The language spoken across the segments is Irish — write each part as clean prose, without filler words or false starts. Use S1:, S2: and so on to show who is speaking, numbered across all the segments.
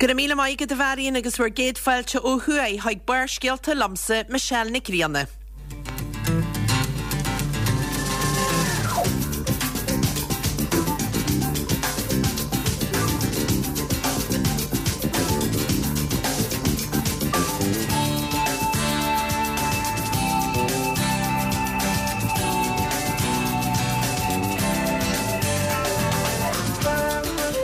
S1: Go raibh míle maith agat a Mharion agus bhur gcéad fáilte ó thuaidh chuig Barrscéalta liomsa, Michelle Nic Grianna.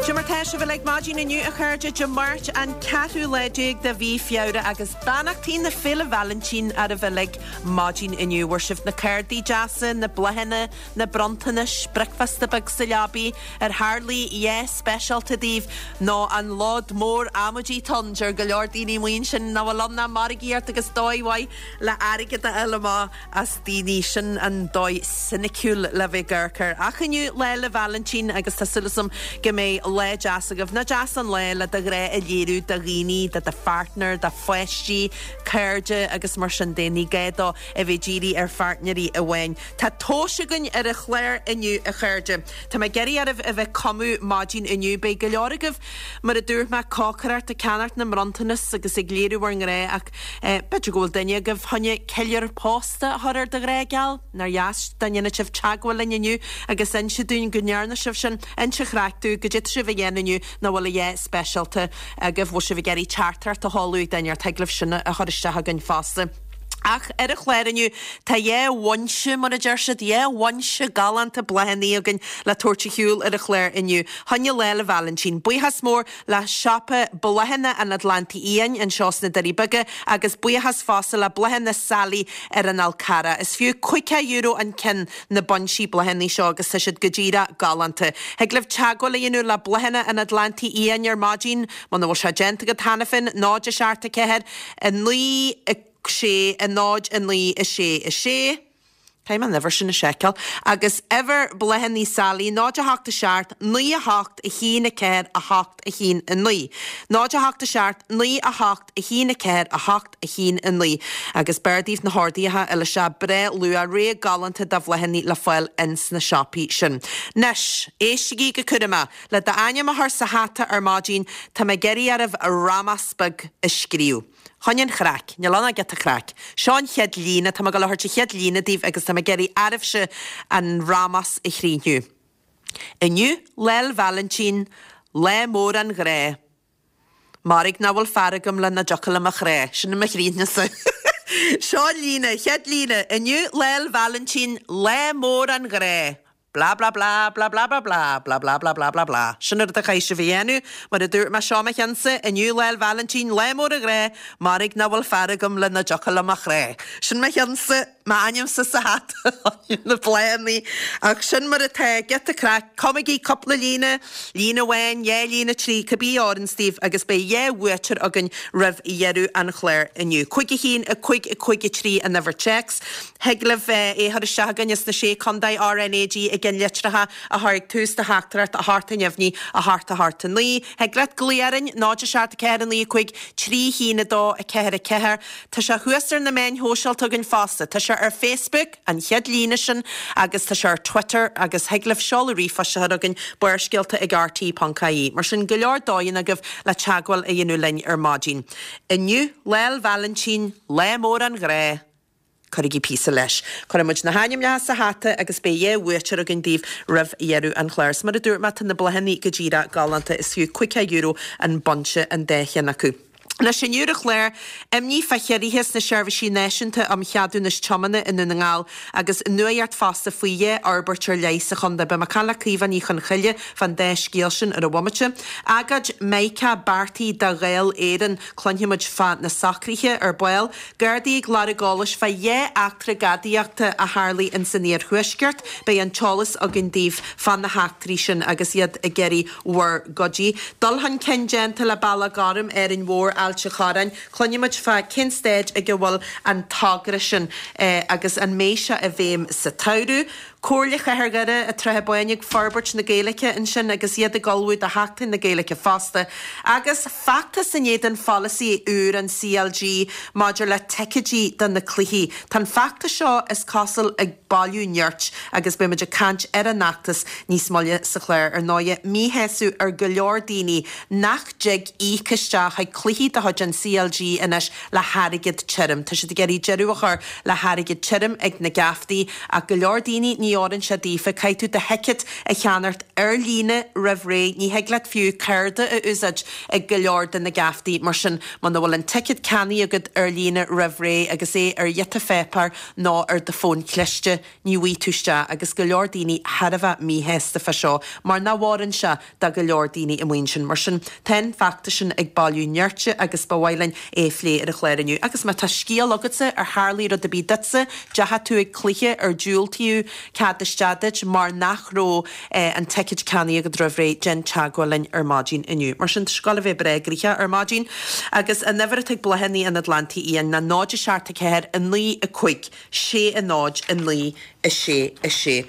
S1: Cad é mar tá sibh uilig maidin inniu a chairde, Dé Máirt an ceathrú lá déag de mhí Feabhra agus beannachtaí na Féile Vailintín oraibh uilig maidin inniu. Bhfuair sibh na cárdaí deasa, na bláthanna, na bronntanais, bricfeasta beag sa leabaidh, ar tharlaigh a dhath speisialta daoibh nó an lód mór amaidí atá ann, deir go leor daoine amuigh ansin nach bhfuil ann ach margaíocht agus dóigh mhaith le airgead a fháil amach as daoine. Sin an dóigh soiniciúil le bheith ag amharc air. Ach inniu Lá 'le Vailintín agus tá súil agam go mbeidh lá deas agaibh. Nach deas an lá le do ghrá a léiriú do dhaoine, do do pháirtneir, do pháistí, cairde agus mar sin de. Ní gá dó a bheith dírithe ar pháirtnéirí amháin. Tá tomhas againn ar an chlár inniu a chairde. Tá mé ag iarraidh oraibh a bheith ag cumadh maidin inniu. Beidh go leor agaibh, mar a dúirt mé, ag cócaireacht, ag ceannacht na mbronntanas agus ag léiriú bhur ngrá ach b'fhéidir go bhfuil duine agaibh fá choinne ceiliúradh pósta a chur ar do ghrá geal? Nár dheas dá ndéanfadh sibh teagmháil linn inniu agus inse dúinn go ndearna sibh sin. Inse an chraic dúinn, goidé tá sibh a dhéanamh inniu nó bhfuil a dhath speisialta agaibh. Bhfuil sibh ag iarraidh teachtaireacht a sheoladh ag duine ort? Thig libh sin a chur isteach againn fosta. Ach ar an chlár inniu, tá dhá bhunse, mar a deir siad, dhá bhunse galánta bláthanna againn le tabhairt ar shiúl ar an chlár inniu. Fá choinne Lá 'le Vailintín. Buíochas mór le Siopa Bláthanna an Atlantaigh Fhiáin anseo sna Doirí Beaga agus buíochas fosta le Bláthanna Sally ar an Fhál Carrach. Is fiú €50 an ceann na buinsí bláthanna seo agus tá siad go díreach galánta. Thig libh teagmháil a dhéanamh le Bláthanna an Atlantaigh Fhiáin ar maidin, muna bhfuil sé déanta agat cheana féin, 0 7 4 9 6 0 9 6 6. Caithfidh mé an uimhir sin a sheiceáil. Agus uimhir Bláthanna Sally, 0 8 7 9 8 1 4 8 1 9. 0 8 7 9 8 1 4 8 1 9. Agus b'fhearr daoibh na horduithe a fháil isteach breá luath, rogha galánta de bhláthanna le fáil ins na siopaí sin. Anois, éistigí go cúramach. Le d'ainm a chur sa hata ar maidin, tá mé ag iarraidh oraibh rámás beag a scríobh. Fá choinne an chraic. Níl ann ach giota craic. Seo an chéad líne, tá mé ag dul a thabhairt an chéad líne daoibh agus tá mé ag iarraidh oraibhse an rámás a chríochnú. Inniu Lá 'le Vailintín, lá mór an ghrá. Mairg nach bhfuil fear agam le nach dtiocfadh liom a chrá. Sin mo chríochnú-sa. Seo an líne, chéad líne, Inniu Lá 'le Vailintín, lá mór an ghrá. Blah blah blah, blah blah blah blah, blah blah blah blah blah blah. Sin an rud a chaithfidh sibh a dhéanamh. Mar a dúirt mé, seo mo cheannsa, inniu Lá 'le Vailintín, lá mór an ghrá, mairg nach bhfuil fear agam le nach dtiocfadh liom a chrá. Sin mo cheannsa, m'ainmse sa hata, na bláthanna. Ach sin mar atá, giota craic, cumaigí cúpla líne, líne amháin, dhá líne, trí, cibé a oireanns daoibh agus beidh dhá bhuaiteoir againn roimh dheireadh an chláir inniu. 5 1 5 5 3 an uimhir téacs. Thig libh é a chur isteach chugainn sna Sé Contae, RnaG i gceannlitreacha a chur ag tús do theachtaireacht, 8 a neamhní, 8 8 9. Thig leat glaoch orainn, 0 7 4 9 5 3 1 2 4 4. Tá sé thuas ar na meáin shóisialta againn fosta. Tá sé ar Facebook, an chéad líne sin, agus tá sé ar Twitter agus thig libh seoladh ríomhphoist a chur chugainn, barrscéalta ag rte.ie. Mar sin, go leor dóigheanna agaibh le teagmháil a dhéanamh linn ar maidin. Inniu, Lá 'le Vailintín, lá mór an ghrá! Cuirigí píosa leis. Cuirfidh muid na hainmneacha sa hata agus beidh dhá bhuaiteoir againn daoibh roimh dheireadh an chláir. Is mar a dúirt mé, tá na bláthanna go díreach galánta. Is fiú €50 an bunch an dá cheann acu. Anois, inniu ar an chlár, imní fá chiorruithe sna Seirbhísí Náisiúnta um Cheadúnais Tiomána i nDún na nGall agus nuaíocht fosta faoi dhá fhorbairt ar leith sa chontae. Beidh mé ag caint le Caoimhe Ní Chonchoille fán dá scéal sin ar an bhomaite. Agóid Meiriceá beartaithe do Dháil Éireann. Cluinfidh muid fá na socruithe ar ball. Gardaí ag lorg eolais fá dhá eachtra gadaíochta a tharlaigh ins an iarthuaisceart. Beidh an t-eolas againn daoibh fá na heachtraí sin agus iad ag iarraidh bhur gcuidiú. Dul chun cinn déanta le Bealach Gorm, Árainn Mhór, Ailt an Chorráin. Cluinfidh muid fá cén staid ag a bhfuil an togra sin agus an mbeidh sé i bhfeidhm sa tsamhradh. Comhairle Chathair Dhoire ag Troithe Báine ag forbairt na Gaeilge ansin agus iad ag ullmhú do Sheachtain na Gaeilge fosta. Agus feachtas in éadan pholasaí úr an CLG maidir le ticéidí do na cluichí. Tá an feachtas seo, is cosúil, ag bailiú nirt agus beidh muid ag caint ar an fheachtas níos moille sa chlár. Ar ndóighe, míshásamh ar go leor daoine nach dtig íoc isteach chuig cluichí de chuid an CLG anois le hairgead tirim. Tá siad ag iarraidh deireadh a chur le hairgead tirim ag na geaftaí ach go leor daoine ní oireann sé daofa. Caithfidh tú do thicéad a cheannacht ar líne roimh ré. Ní thig leat fiú cárta a úsáid ag go leor de na geaftaí. Mar sin, muna bhfuil an ticéad ceannaithe agat ar líne roimh ré agus é ar ghiota pháipéir nó ar do fón cliste, ní bhfaighidh tú isteach agus go leor daoine thar a bheith míshásta fá seo mar nach bhfóireann sé do go leor daoine amuigh ansin. Mar sin, tá an feachtas sin ag bailiú nirt agus ba mhaith linn é a phlé ar an chlár inniu. Agus má tá scéal agatsa, ar tharlaigh rud ar bith duitsa, deachaigh tú ag cluiche ar diúltaíodh cead isteach duit mar nach raibh an ticéad ceannaithe agat roimh ré, déan teagmháil linn ar maidin inniu. Mar sin, tá sé ag gabháil a bheith breá gnoitheach ar maidin. Agus an uimhir atá ag Bláthanna an Atlantaigh Fhiáin ná 0 7 4 9 5 6 0 9 6 6.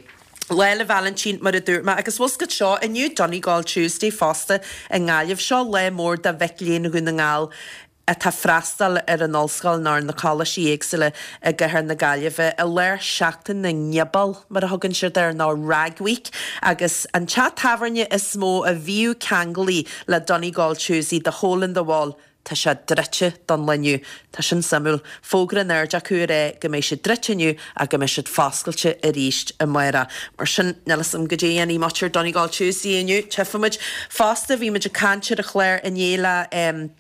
S1: Lá 'le Vailintín, mar a dúirt mé, agus bhfuil 's agat seo, inniu Donegal Tuesday fosta i nGaillimh. Seo lá mór do mhic léinn Dhún na nGall atá ag freastal ar an ollscoil nó ar na coláistí éagsúla i gcathair na Gaillimhe i lár Seachtain na nGiobal, mar a thugann siad air, nó Rag Week, agus an teach tábhairne is mó a bhíodh ceanglaithe le Donegal Tuesday, The Hole in the Wall, Tá sé druidte don lá inniu. Tá sin suimiúil. Fógra in airde acu ag rá go mbeidh siad druidte inniu ach go mbeidh siad foscailte arís amárach. Mar sin, níl 'fhios a'm goidé a dhéanfaidh muintir Donegal Tuesday inniu. Tchífimid. Fosta, bhí muid ag caint ar an chlár inné le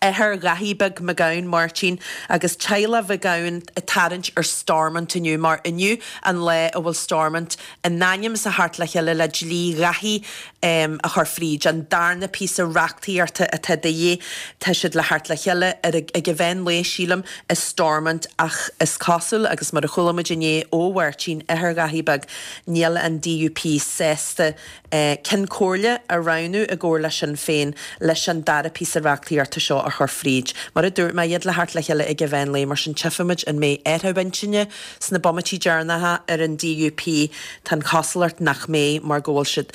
S1: athair Dhaithí Beag McGowan, Máirtín, agus teaghlach McGowan ag tarraingt ar Stormont inniu mar inniu an lá a bhfuil Stormont in ainm is a theacht le chéile le dlí Dhaithí a chur fríd, an darna píosa reachtaíochta atá de dhíth. Tá siad le theacht le chéile ar ag an mheán lae, sílim, i Stormont ach is cosúil, agus mar a chuala muid inné ó Mháirtín, athair Dhaithí Beag, níl an DUP sásta Ceann Comhairle a roghnú i gcomhar le Sinn Féin leis an dara píosa reachtaíochta seo a chur fríd. Mar a dúirt mé, iad le theacht le chéile ag an mheán lae, mar sin tchífimid an mbeidh athrú intinne sna bomaití deireanacha ar an DUP. Tá an chosúlacht nach mbeidh mar go bhfuil siad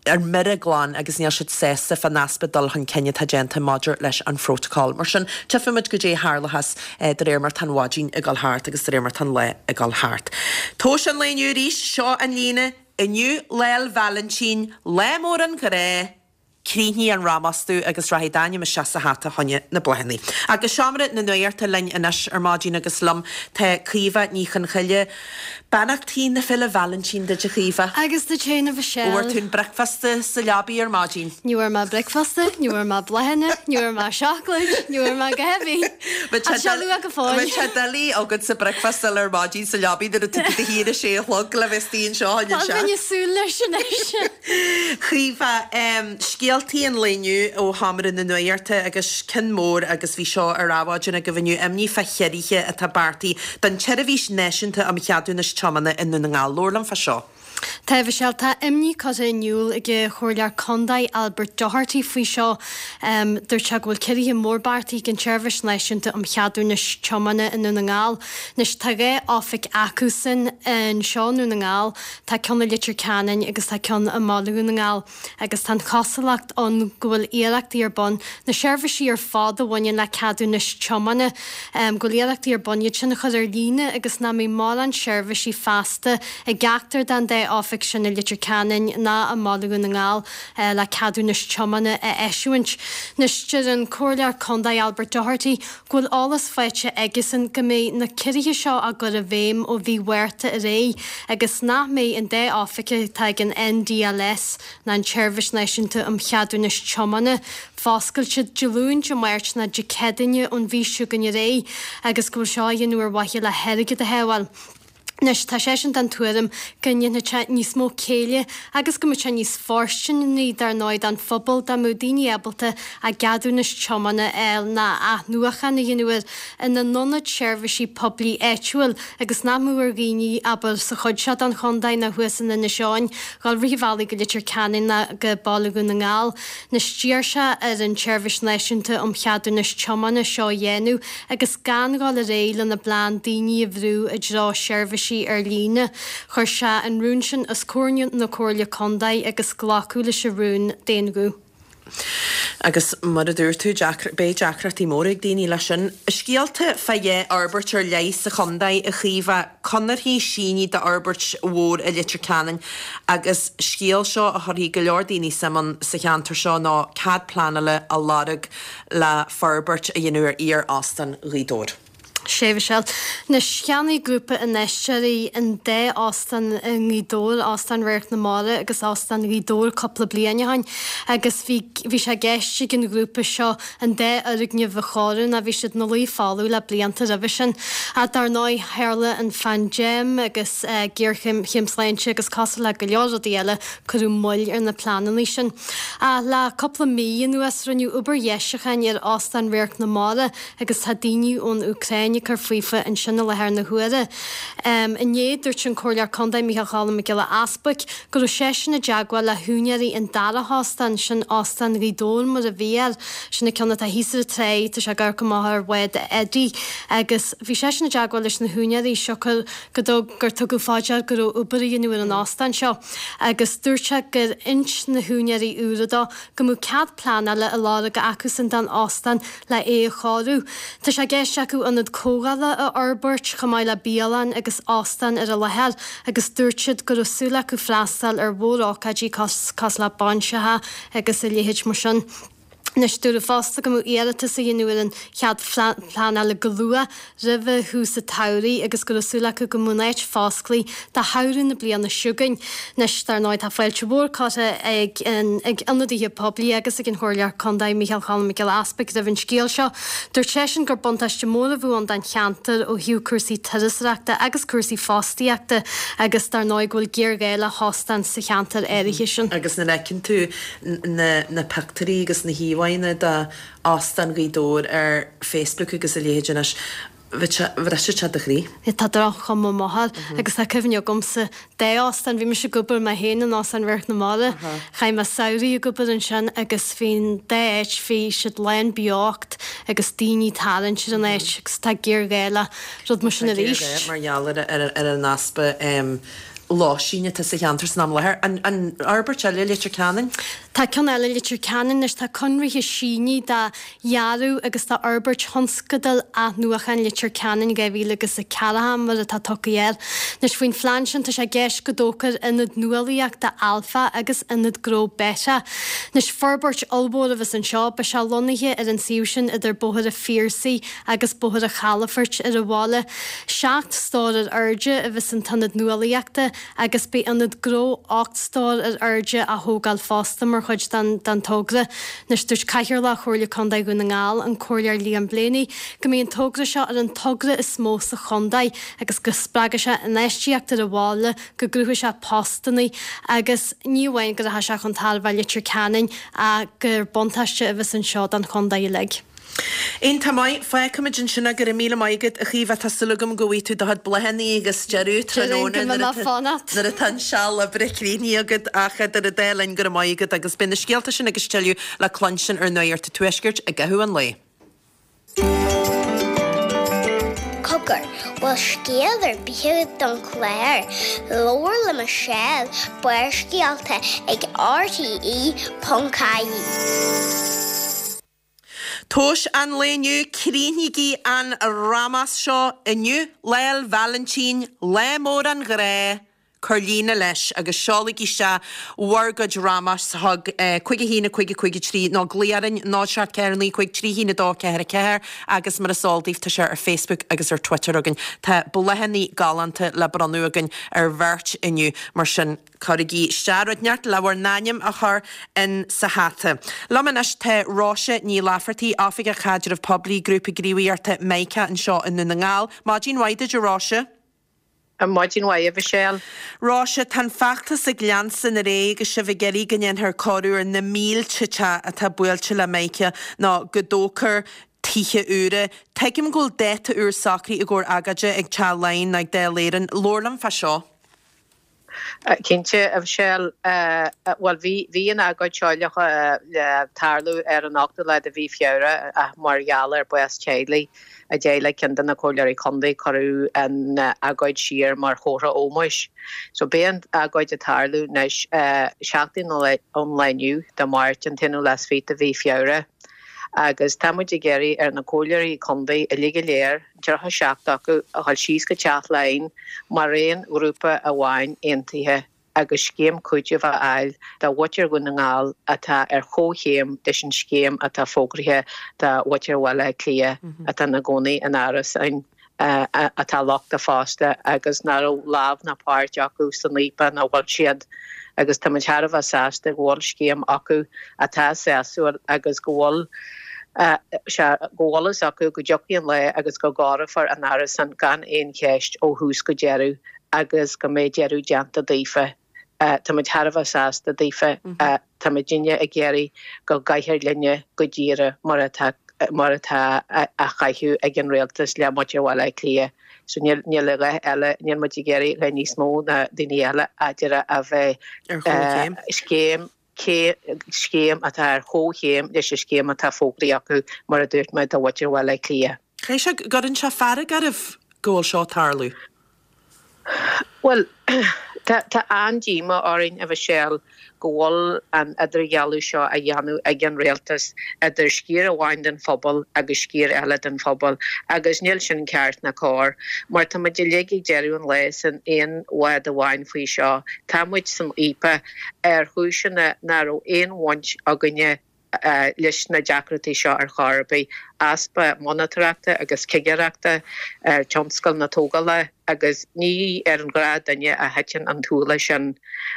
S1: ar mire glan agus níl siad sásta fán easpa dul chun cinn atá déanta maidir leis an phrótacal. Mar sin, tchífimid goidé a tharlóchas de réir mar tá an mhaidin ag dul thart agus de réir mar tá an lá ag dul thart. Tomhais an lae inniu arís, seo an líne, Inniu Lá 'le Vailintín, lá mór an ghrá, Críochnaigh an rámastú agus rachaidh d'ainm isteach sa hata choinne na bláthanna. Agus Seomra na Nuachta linn anois ar maidin agus liom tá Caoimhe Ní Chonchoille. Beannachtaí na Féile Vailintín duit a Chaoimhe.
S2: Agus duit féin a Mhichelle.
S1: Bhfuair tú an bricfeasta sa leabaidh ar maidin?
S2: Ní bhfuair mé bricfeasta, ní bhfuair mé bláthanna, ní bhfuair mé seacláid, ní bhfuair mé a dhath ar bith. Tá sé luath go fóill.
S1: Bheadh sé doiligh agatsa bricfeasta ar maidin sa leabaidh nuair atá tú i do shuí ar a sé a chlog le bheith istigh anseo
S2: a Tá bheinn ag súil leis anois.
S1: Caoimhe, Scéaltaí an lae inniu ó Sheomra na Nuachta agus ceann mór agus bhí seo ar adhmhaidin agaibh inniu, imní fá chiorruithe atá beartaithe don tSeirbhís Náisiúnta um Cheadúnais Tiomána i nDún na nGall. Labhair liom fá seo.
S2: Tá, a Mhichelle, tá imní curtha in iúl ag an Chomhairleoir Contae Albert Doherty faoi seo. Dúirt sé go bhfuil ciorruithe mór beartaithe ag an tSeirbhís Náisiúnta um Cheadúnais Tiomána i nDún na nGall. Anois tá 2 oifig acusan anseo i nDún na nGall, tá ceann i Leitir Ceanainn agus tá ceann i mBaile Dhún na nGall. Agus tá an chosúlacht ann go bhfuil iarrachtaí ar bun, na seirbhísí ar fad a bhaineann le ceadúnais tiomána, go bhfuil iarrachtaí ar bun iad sin a chur ar líne agus nach mbeidh mórán seirbhísí feasta i gceachtar den dá oifig sin i Leitir Ceanainn ná i mBaile Dhún na nGall le ceadúnais tiomána a eisiúint. Anois, deir an Comhairleoir Contae Albert Doherty go bhfuil eolas faighte aigesan go mbeidh na ciorruithe seo á gcur i bhfeidhm ó mhí Mhárta ar aghaidh agus nach mbeidh an dá oifig atá ag an NDLS ná an tSeirbhís Náisiúnta um Cheadúnais Tiomána foscailte Dé Luain, Dé Máirt ná Dé Céadaoine ón mhí seo chugainn ar aghaidh agus go bhfuil seo á dhéanamh ar mhaithe le hairgead a shábháil. Anois, tá seisean den tuairim go ndéanfadh sé níos mó céille agus go mbeadh sé níos fóirsteanaí, dar ndóigh, don phobal dá mbeadh daoine ábalta a gceadúnas tiomána a fháil ná athnuachan a dhéanamh air ina n-ionad seirbhísí poiblí áitiúil agus nach mbeadh ar dhaoine, abair, sa chuid seo den chontae nó thuas in Inis Eoghain, dhul rith an bhealaigh go Leitir Ceanainn ná go Baile Dhún na nGall. Anois, d'iarr sé ar an tSeirbhís Náisiúnta um Cheadúnais Tiomána seo a dhéanamh agus gan dhul ar aghaidh lena bplean daoine a bhrú i dtreo seirbhísí. seirbhísí ar líne. Chuir sé an rún sin os comhair na Comhairle Contae agus glacadh leis an rún d'aon ghuth.
S1: Agus mar a dúirt tú, beidh deacrachtaí móra ag daoine leis sin. Scéalta fá dhá fhorbairt ar leith sa chontae, a Chaoimhe, conarthaí sínithe d'fhorbairt mhór i Leitir Ceanainn agus scéal seo a chuirfidh go leor daoine suim ann sa cheantar seo ná cead pleanála á lorg le forbairt a dhéanamh ar iar-Óstán Ghaoth Dobhair.
S2: Sea, a Mhichelle. Anois, cheannaigh grúpa infheisteoirí an dá óstán i nGaoth Dobhair, Óstán Radharc na Mara agus Óstán Ghaoth Dobhair cúpla bliain ó shin agus bhí bhí sé i gceist ag an ghrúpa seo an dá fhoirgneamh a chóiriú nó bhí siad ina luí folamh le blianta roimhe sin. Ach dar ndóigh, tharla an phaindéim agus géarchéim sláinte agus cosúil le go leor rudaí eile, cuireadh moill ar na pleananna sin. Ach le cúpla mí anuas, rinneadh obair dheisiúcháin ar Óstán Radharc na Mara agus tá daoine ón Úcráin ag cur faofa ansin i láthair na huaire. Inné, dúirt an Comhairleoir Contae Micheál Cholm Mac Giolla Easbuic go raibh seisean i dteagmháil le húinéirí an dara hóstán, sin Óstán Ghaoth Dobhair mar a bhí air, sin an ceann atá thíos ar an tráigh, tá sé ag amharc amach ar bhád Eddie, agus bhí seisean i dteagmháil leis na húinéirí siocair go dtug gur tugadh fá dear go raibh obair á dhéanamh ar an óstán seo agus dúirt sé gur inis na húinéirí úra dó go mbeadh cead pleanála á lorg acusan don óstán le é a chóiriú. Tá sé i gceist acu ionad comhdhála a fhorbairt chomh maith le bialann agus óstán ar an láthair agus dúirt siad go raibh súil acu freastal ar mhór-ócáidí cosúil le bainseacha agus a leithéid mar sin. Anois, dúradh fosta go mbeadh iarratas á dhéanamh ar an chead pleanála go luath roimhe thús an tsamhraidh agus go raibh súil acu go mbeadh an áit fosclaithe do shamhradh na bliana seo chugainn. Anois, dar ndóigh, tá fáilte mhór curtha ag ag ionadaithe poiblí agus ag an Chomhairleoir Contae, Micheál Cholm Mac Giolla Easbuic, roimh an scéal seo. Dúirt seisean gur buntáiste mór a bheadh ann don cheantar ó thaobh cúrsaí turasóireachta agus cúrsaí fostaíochta agus dar ndóigh go bhfuil géarghá le hóstán sa cheantar áirithe sin.
S1: Agus nuair a fheiceann tú na na pictiúirí agus na híomhánna de Óstán Ghaoth Dobhair ar Facebook agus a leithéid anois, bhrisfeadh sé do chroí.
S2: Tá droch-chuma maith air agus tá cuimhne agamsa dá óstán, bhí mise ag obair mé féin in Óstán Radharc na Mara, chaith mé samhraí ag obair ansin agus bhí an dá áit, bhí siad lán beocht agus daoine ag tarraingt ar an áit agus tá géarghá le rud mar sin
S1: arís. Tá géarghá mar gheall ar an easpa lóistín atá sa cheantar san am i láthair. An fhorbairt eile, Leitir Ceanainn?
S2: Tá ceann eile, Leitir Ceanainn, anois tá conraithe sínithe do dhearadh agus do fhorbairt Thionscadal Athnuachan Leitir Ceanainn 2000 agus a ceathracha mar atá tugtha air. Anois faoin phlean sin tá sé i gceist go dtógfar Ionad Nuálaíochta Alpha agus Ionad Gnó Beta. Anois forbairt ollmhór a bheas anseo, beidh sé lonnaithe ar an suíomh sin idir Bóthar an Phiarsaigh agus Bóthar an Chalafoirt ar an bhaile. Seacht stór ar airde a bheas san t-ionad nuálaíochta agus beidh ionad gnó 8 stór ar airde á thógáil fosta mar chuid den togra. Anois dúirt Cathaoirleach Chomhairle Contae Dhún na nGall, an Comhairleoir Liam Blaney, go mbeidh an togra seo ar an togra is mó sa chontae agus go spreagfaidh sé infheistíocht ar an bhaile, go gcruthóidh sé postanna agus ní amháin go rachaidh sé chun tairbhe Leitir Ceanainn ach gur buntáiste a bheas anseo don chontae uilig.
S1: Iontach maith. Fágfaimid ansin é. Go raibh míle maith agat, a Chaoimhe. Tá súil agam go bhfaighidh tú do chuid bláthanna agus deireadh tráthnóna nuair atá an seal oibre críochnaithe agat. Ach idir an dá linn, go raibh maith agat agus beidh na scéalta sin agus tuilleadh le cluinstin ar Nuacht an Tuaiscirt i gcaitheamh an lae.
S3: Cogar, bhfuil scéal ar bith agat don chlár? Labhair le Michelle, Barrscéalta ag RTE.ie.
S1: Tomhais an lae inniu, críochnaígí an rámás seo inniu, Lá 'le Vailintín, lá mór an ghrá, cuir líne leis agus seolaigí isteach bhur gcuid rámás chuig 5 1 5 5 3 nó glaoigh orainn 0 7 4 9 5 3 1 2 4 4 agus mar is eol daoibh tá sé ar Facebook agus ar Twitter againn. Tá bláthanna galánta le bronnadh againn ar bheirt inniu mar sin Cuirigí isteach rud inteacht le bhur n-ainm a chur in sa hata. Liom anois tá Róise Ní Laifeartaigh, Oifigeach Caidreamh Poiblí, Grúpa Gníomhaíochta Mica anseo i nDún na nGall. Maidin mhaith duit a Róise.
S4: Maidin mhaith a Mhichelle.
S1: Róise, tá an feachtas ag leanstan ar aghaidh agus sibh ag iarraidh go ndéanfar cóiriú ar na mílte teach atá buailte le Mica nó go dtógfar tithe úra. Tuigim go bhfuil dáta úr socraithe i gcomhair agóide ag Teach Laighean nó ag Dáil Éireann. Labhair liom fá seo.
S4: Cinnte, a Mhichelle. Bhuel, bhí, bhí an agóid seo le, le tarlú ar an ochtú lá de mhí Feabhra ach mar gheall ar bás teaghlaigh i dteaghlach ceann de na Comhairleoirí Contae, cuireadh an agóid siar mar chomhartha ómóis. So beidh an agóid ag tarlú anois seachtain ón lá inniu, Dé Máirt, an t-aonú lá is fiche de mhí Feabhra agus tá muid ag iarraidh ar na Comhairleoirí Contae uilig go léir, 37 acu, a dhul síos go Teach Laighean mar aon ghrúpa amháin aontaithe agus scéim cúitimh a fháil do mhuintir Dhún na nGall atá ar chomhchéim leis an scéim atá fógraithe do mhuintir Bhaile Átha Cliath atá ina gcónaí in árasáin atá lochtach fosta agus nach raibh lámh ná páirt acu san fhaopach ina bhfuil siad agus tá muid thar a bheith sásta go bhfuil scéim acu atá sásúil agus go bhfuil sé go bhfuil fhios acu go dtiocfaidh an lá agus go gcóireofar a n-árasán gan aon cheist ó thús go deireadh agus go mbeidh deireadh déanta daofa. Tá muid thar a bheith sásta daofa. Tá muidinne ag iarraidh go gcaithfear linne go díreach mar atá mar atá á chaitheamh ag an rialtas le muintir Bhaile Átha Cliath. So níl níl a dhath eile, níl muid ag iarraidh a bheith níos mó ná daoine eile a deireadh a bheith
S1: Ar chomhchéim.
S4: scéim scéim atá ar chomhchéim leis an scéim atá fógraithe acu mar a dúirt mé do mhuintir Bhaile Átha Cliath.
S1: Caithfidh sé go gcuireann sé fearg oraibh go bhfuil seo ag tarlú.
S4: Bhuel, tá tá an-díomá orainn, a Mhichelle, go bhfuil an idirdhealú seo á dhéanamh ag an rialtas idir sciar amháin den phobal agus sciar eile den phobal agus níl sin ceart ná cóir mar tá muid uilig ag deireadh an lae san aon bhád amháin faoi seo. Tá muid san fhaopach ar chúiseanna nach raibh aon bhaint againne leis na deacrachtaí seo ar chor ar bith, easpa monatóireachta agus cigireachta ar tionscal na tógála agus ní ar an ghnáthdhuine a thiteann an t-ualach sin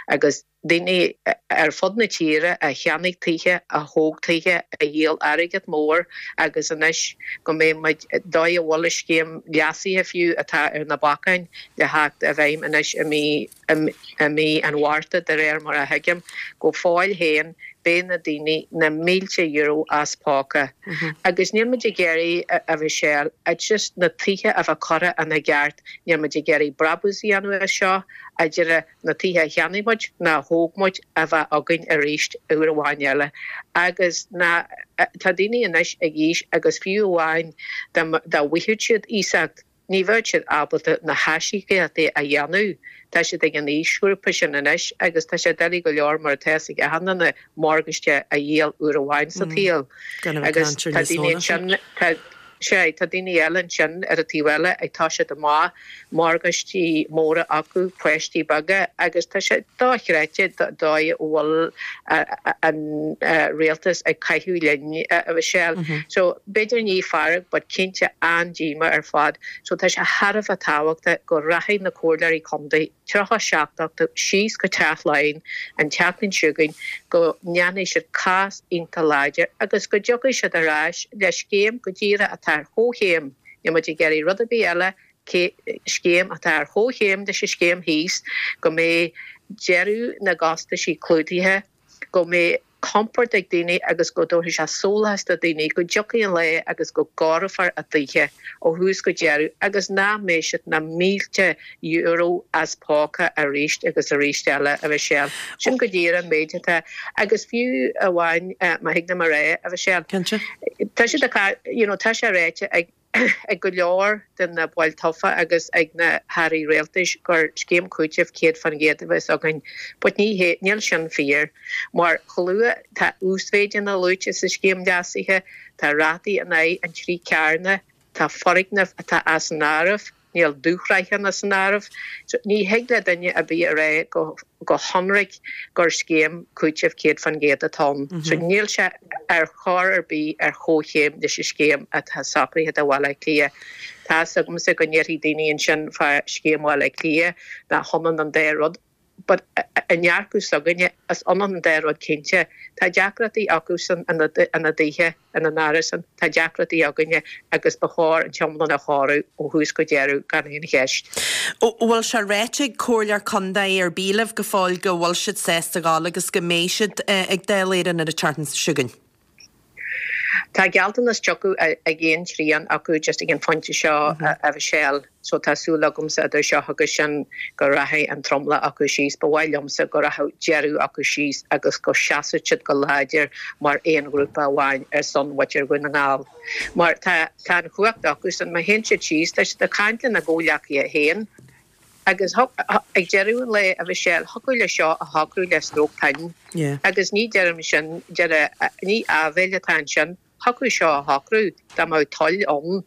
S4: agus daoine ar fud na tíre a cheannaigh tithe, a thóg tithe, a dhíol airgead mór agus anois go mbeidh muid, dóigh a bhfuil an scéim leasaithe fiú atá ar na bacáin le theacht i bhfeidhm anois i mí i mí an Mhárta, de réir mar a thuigim. Go fóill féin, beidh na daoine na mílte euro as póca. Agus níl muid ag iarraidh, a Mhichelle, it's just na tithe a bheith curtha ina gceart, níl muid ag iarraidh brabús a dhéanamh as seo, a deireadh na tithe a cheannaigh muid ná a thóg muid a bheith againn arís uair amháin eile. Agus na, tá daoine anois ag aois agus fiú amháin dá bhfaigheadh siad iasacht, Ní bheadh siad ábalta na haisíocaíochtaí a dhéanamh. Tá siad ag an aoisghrúpa sin anois agus tá sé doiligh go leor mar atá fhios ag achan duine morgáiste a dhíol uair amháin sa tsaol. Agus tá daoine ansin, tá, sea, tá daoine eile ansin ar an taobh eile ag toiseacht amach, morgáistí móra acu, páistí beaga agus tá sé dochreidte dóigh a bhfuil an rialtas ag caitheamh linn, a Mhichelle. So, b'fhéidir ní fearg but cinnte an-díomá ar fad. So tá sé thar a bheith tábhachtach go rachaidh na comhairleoirí contae, 37 acu, síos go Teach Laighean an tseachtain seo chugainn go ndéanfaidh siad cás iontach láidir agus go dtiocfaidh siad ar ais le scéim go díreach atá ar chomhchéim, níl muid ag iarraidh rud ar bith eile, scéim atá ar chomhchéim leis an scéim thíos, go mbeidh deireadh na gcostaisí clúdaithe, go mbeidh compord ag daoine agus go dtabharfaidh sé sólás do dhaoine go dtiocfaidh an lá agus go gcóireofar a dtithe ó thús go deireadh agus nach mbeidh siad na mílte euro as póca arís agus arís eile, a Mhichelle. Sin go díreach an méid atá. Agus fiú amháin, má thig liom a rá, a Mhichelle, tá siad ag, you know, tá sé ráite ag ag go leor de na baill tofa agus ag na hairí rialtais gur scéim cúitimh 100% a bheas againn but ní hé, níl sin fíor mar chomh luath, tá uasmhéideanna luaite sa scéim leasaithe, tá rátaí in aghaidh an trí cearna, tá foirgnimh atá as an áireamh. Níl dúshraitheanna san áireamh. So, ní thig le duine ar bith a rá go go hionraic gur scéim cúitimh 100% atá ann. So, níl sé ar chor ar bith ar chomhchéim leis an scéim atá socraithe do Bhaile Átha Cliath. Tá 'fhios agamsa go ndéarfaidh daoine ansin fá scéim Bhaile Átha Cliath nach hionann an dá rud. But i ndearcadh s'againne, is ionann an dá rud cinnte. Tá deacrachtaí acusan ina dtithe, ina n-árasáin, tá deacrachtaí againne agus ba chóir an t-iomlán a chóiriú ó thús go deireadh gan aon cheist.
S1: Bhfuil sé ráite ag comhairleoir contae ar bith libh go fóill go bhfuil siad sásta a ghabháil agus go mbeidh siad ag Dáil Éireann ar an tseachtain seo chugainn?
S4: Tá gealltanas tugtha ag aon trian acu just ag an phointe seo, a Mhichelle, so tá súil agamsa idir seo agus sin go rachaidh an tromlach acu síos. Ba mhaith liomsa go rachadh deireadh acu síos agus go seasfadh siad go láidir mar aon ghrúpa amháin ar son mhuintir Dhún na nGall. Mar tá tá an chumhacht acusan, má théann siad síos, tá siad ag caint lena gcomhghleacaithe féin. Agus ag deireadh an lae, a Mhichelle, thiocfadh le seo a shocrú le stróc pinn. Agus ní deirim sin, ní áibhéil atá ansin, thiocfadh seo a shocrú dá mbeadh toil ann.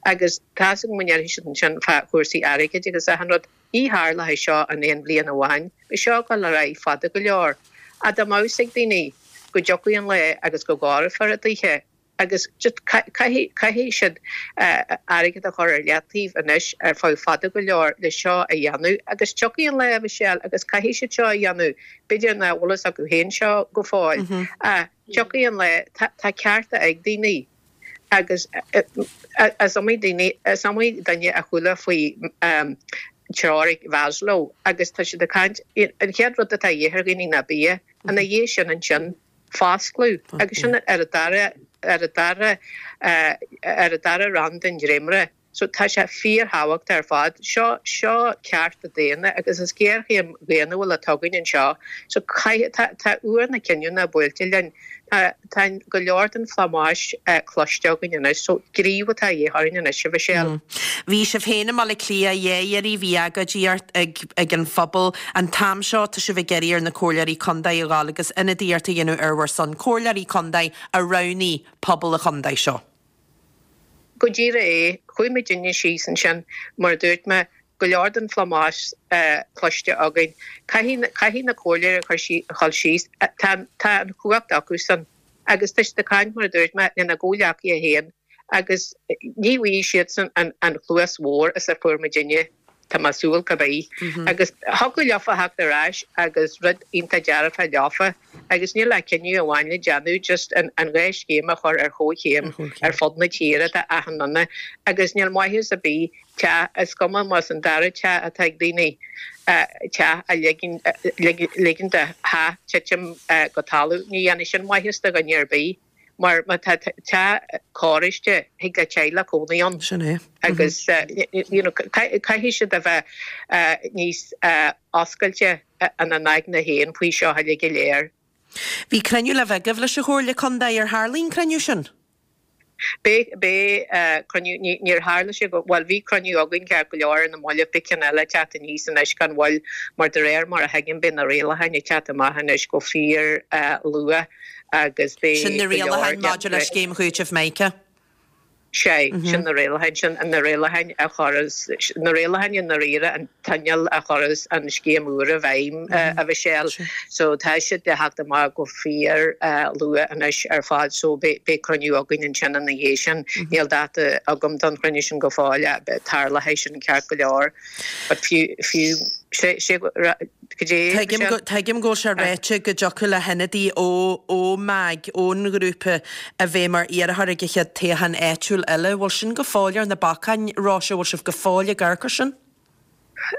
S4: Agus tá's agam go ndéarfaidh siad ansin fá chúrsaí airgid agus achan rud, ní tharlóidh seo in aon bhliain amháin, beidh seo ag dul ar aghaidh fada go leor. Ach dá mbeadh fhios ag daoine go dtiocfaidh an lá agus go gcomhairfear i dtithe, agus just caithfidh, caithfidh siad airgead a chur ar leataobh anois ar feadh fada go leor le seo a dhéanamh agus tiocfaidh an lá, a Mhichelle, agus caithfidh siad seo a dhéanamh, b'fhéidir nach bhfuil fhios acu féin seo go fóill, ach tiocfaidh an lá, tá, tá cearta ag daoine agus is iomaí daoine, is iomaí duine a chuala faoi teoiric Mhaslow agus tá siad ag caint, an chéad rud atá a dhíth ar dhaoine ná bia, ina dhiaidh sin ansin, foscladh agus sin ar an dara ar an dara ar an dara rang den dréimire. So tá sé fíorthábhachtach ar fad. Seo seo cearta daonna agus is géarchéim dhaonnúil atá againn anseo. So caithfidh tá tá uair na cinniúna buailte linn. Tá tá go leor den phlámás cloiste againn anois. So gníomh atá a dhíth orainn anois, a Mhichelle.
S1: Bhí sibh féin i mBaile Átha Cliath dhá iarraidh, bhí agóidíocht ag ag an phobal. An t-am seo tá sibh ag iarraidh ar na comhairleoirí contae a ghabháil agus ionadaíocht a dhéanamh ar bhur son, comhairleoirí contae a roghnaigh pobal an chontae seo.
S4: Go díreach é. Chuaigh muidinne síos ansin, mar a dúirt mé, go leor den phlámás cloiste againn. Caithfidh, caithfidh na comhairleoirí a chur a dhul síos. Tá, tá an chumhacht acusan. Agus tá siad ag caint, mar a dúirt mé, lena gcomhghleacaithe féin agus ní bhfaighidh siadsan an chluas bhodhar is a fuair muidinne, tá mé ag súil cibé. Agus thiocfadh leofa theacht ar ais agus rud iontach dearfach leofa agus níl ach cinneadh amháin le déanamh, just an dhá scéim a chur ar chomhchéim ar fud na tíre do achan duine agus níl maitheas ar bith teach, is cuma más an dara teach atá ag daoine, teach a ligean, ligean do theach titim go talamh, ní dhéanfaidh sin maitheas do dhuine ar bith mar má tá teach cóiriste, thig le teaghlach cónaí ann.
S1: Sin é.
S4: Agus you know caithfidh siad a bheith níos oscailte ina n-aigne féin faoi seo uilig go léir.
S1: Bhí cruinniú le bheith agaibh leis an Chomhairle Contae, ar tharlaigh an cruinniú sin?
S4: Beidh, beidh cruinniú, ní, níor tharla sé go, bhuel bhí cruinniú againn ceart go leor ar na mallaibh, beidh ceann eile ag teacht aníos anois gan mhoill mar de réir mar a thuigim beidh na rialacháin ag teacht amach anois go fíor luath agus beidh
S1: Sin na go leor rialacháin maidir le Scéim Chúitimh Mica.
S4: Sea, sin na rialacháin, sin na rialacháin a chuireas, na rialacháin i ndáiríre, an t-inneall a chuireas an scéim úr i bhfeidhm, a Mhichelle. So tá siad le theacht amach go fíor luath anois ar fad so beidh cruinniú againn ansin ina dhiaidh sin. Níl dáta agam don chruinniú sin go fóill ach tarlóidh sin ceart go leor. But fiú, fiú, sé, sé,
S1: Tuigim go, tuigim go bhfuil sé ráite go dtiocfadh le hionadaí ó, ó MAG, ón ngrúpa, a bheith mar iarrthóir ag an chéad toghchán áitiúil eile. Bhfuil sin go fóill ar na bacáin, Róise? Bhfuil sibh go fóill ag amharc air sin?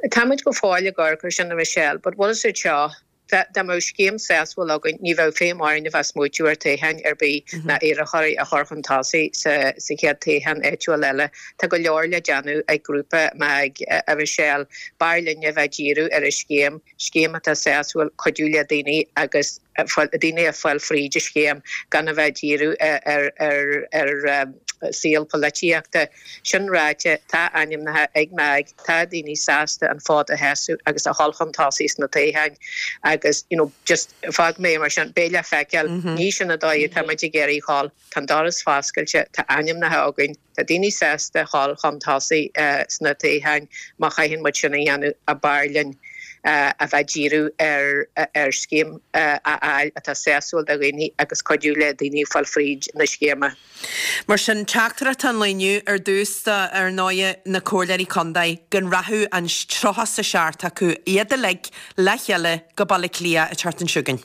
S4: Táimid go fóill ag amharc air sin, a Michelle, but bhfuil fhios agat seo, dá, dá mbeadh scéim sásúil againn, ní bheadh feidhm orainn a bheith ag smaoitiú ar toghcháin ar bith ná iarrthóirí a chur chun tosaigh sa, sa chéad toghchán áitiúil eile. Tá go leor le déanamh ag grúpa MAG, a Mhichelle. B'fhearr linne a bheith ag díriú ar an scéim, scéim atá sásúil, cuidiú le daoine agus daoine a fáil fríd an scéim gan a bheith ag díriú ar saol polaitíochta. Sin ráite, tá ainmneacha ag MAG, tá daoine sásta an fód a sheasamh agus a dhul chun tosaigh sna toghcháin agus you know just fágfaidh mé mar sin, beidh le feiceáil, ní sin an dóigh atá muid ag iarraidh dhul. Tá an doras foscailte, tá ainmneacha againn, tá daoine sásta dhul chun tosaigh sna toghcháin má chaitheann muid sin a dhéanamh ach b'fhearr linn a bheith ag díriú ar scéim a fháil atá sásúil do dhaoine agus cuidiú le daoine fáil fríd na scéime.
S1: Mar sin, teachtaireacht an lae inniu ar dtús do, ar ndóighe, na comhairleoirí contae, go rachadh an 37 acu, iad uilig, le chéile go Baile Átha Cliath an tseachtain seo chugainn.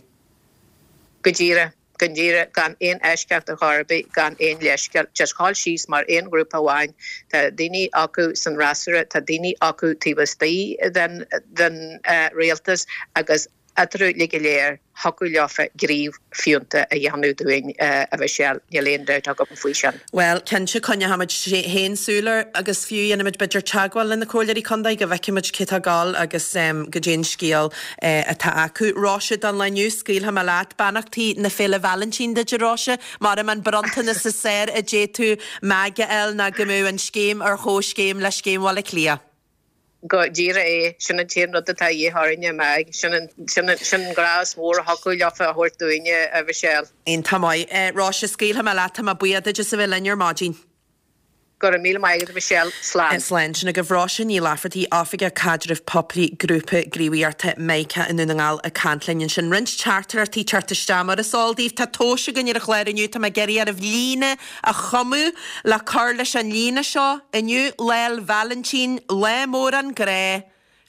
S4: Go díreach. Go díreach, gan aon eisceacht ar chor ar bith, gan aon leithscéal, just dhul síos mar aon ghrúpa amháin. Tá daoine acu san fhreasúra, tá daoine acu taobh istigh den den rialtas agus. Eatarthu uilig go léir, thiocfadh leofa gníomh fiúntach a dhéanamh dúinn, a Mhichelle, níl aon dabht agam faoi sin.
S1: Bhuel, cinnte, coinneochaimid féin súil air agus fiú dhéanfaimid b'fhéidir teagmháil le na comhairleoirí contae go bhfeicfimid cé tá ag gabháil agus goidé an scéal atá acu. Róise, don lá inniu, scaoilfidh mé leat. Beannachtaí na Féile Vailintín duit, a Róise. Maram an bronntanas is fearr a d'fhéadfadh Meaig a fháil ná go mbeadh an scéim ar chomhscéim le Scéim Bhaile Átha Cliath.
S4: Go díreach é. Sin an t-aon rud atá a dhíth orainne, a Mheaig. Sin an, sin an, sin an grá is mór a thiocfadh leofa a thabhairt dúinne, a Mhichelle.
S1: Iontach maith. Róise, scaoilfidh mé leat. Tá mé buíoch duit as a bheith linn ar maidin.
S4: Go raibh míle maith agat, a Mhichelle. Slán.
S1: Slán. Sin agaibh Róise Ní Laifeartaigh, Oifigeach Caidrimh Poiblí Grúpa Gníomhaíochta Mica i nDún na nGall ag caint linn ansin. Roinnt teachtaireachtaí ag teacht isteach mar is eol daoibh. Tá tomhas againn ar an chlár inniu. Tá mé ag iarraidh oraibh líne a chumadh le cur leis an líne seo, Inniu Lá'l Vailintín, lá mór an ghrá,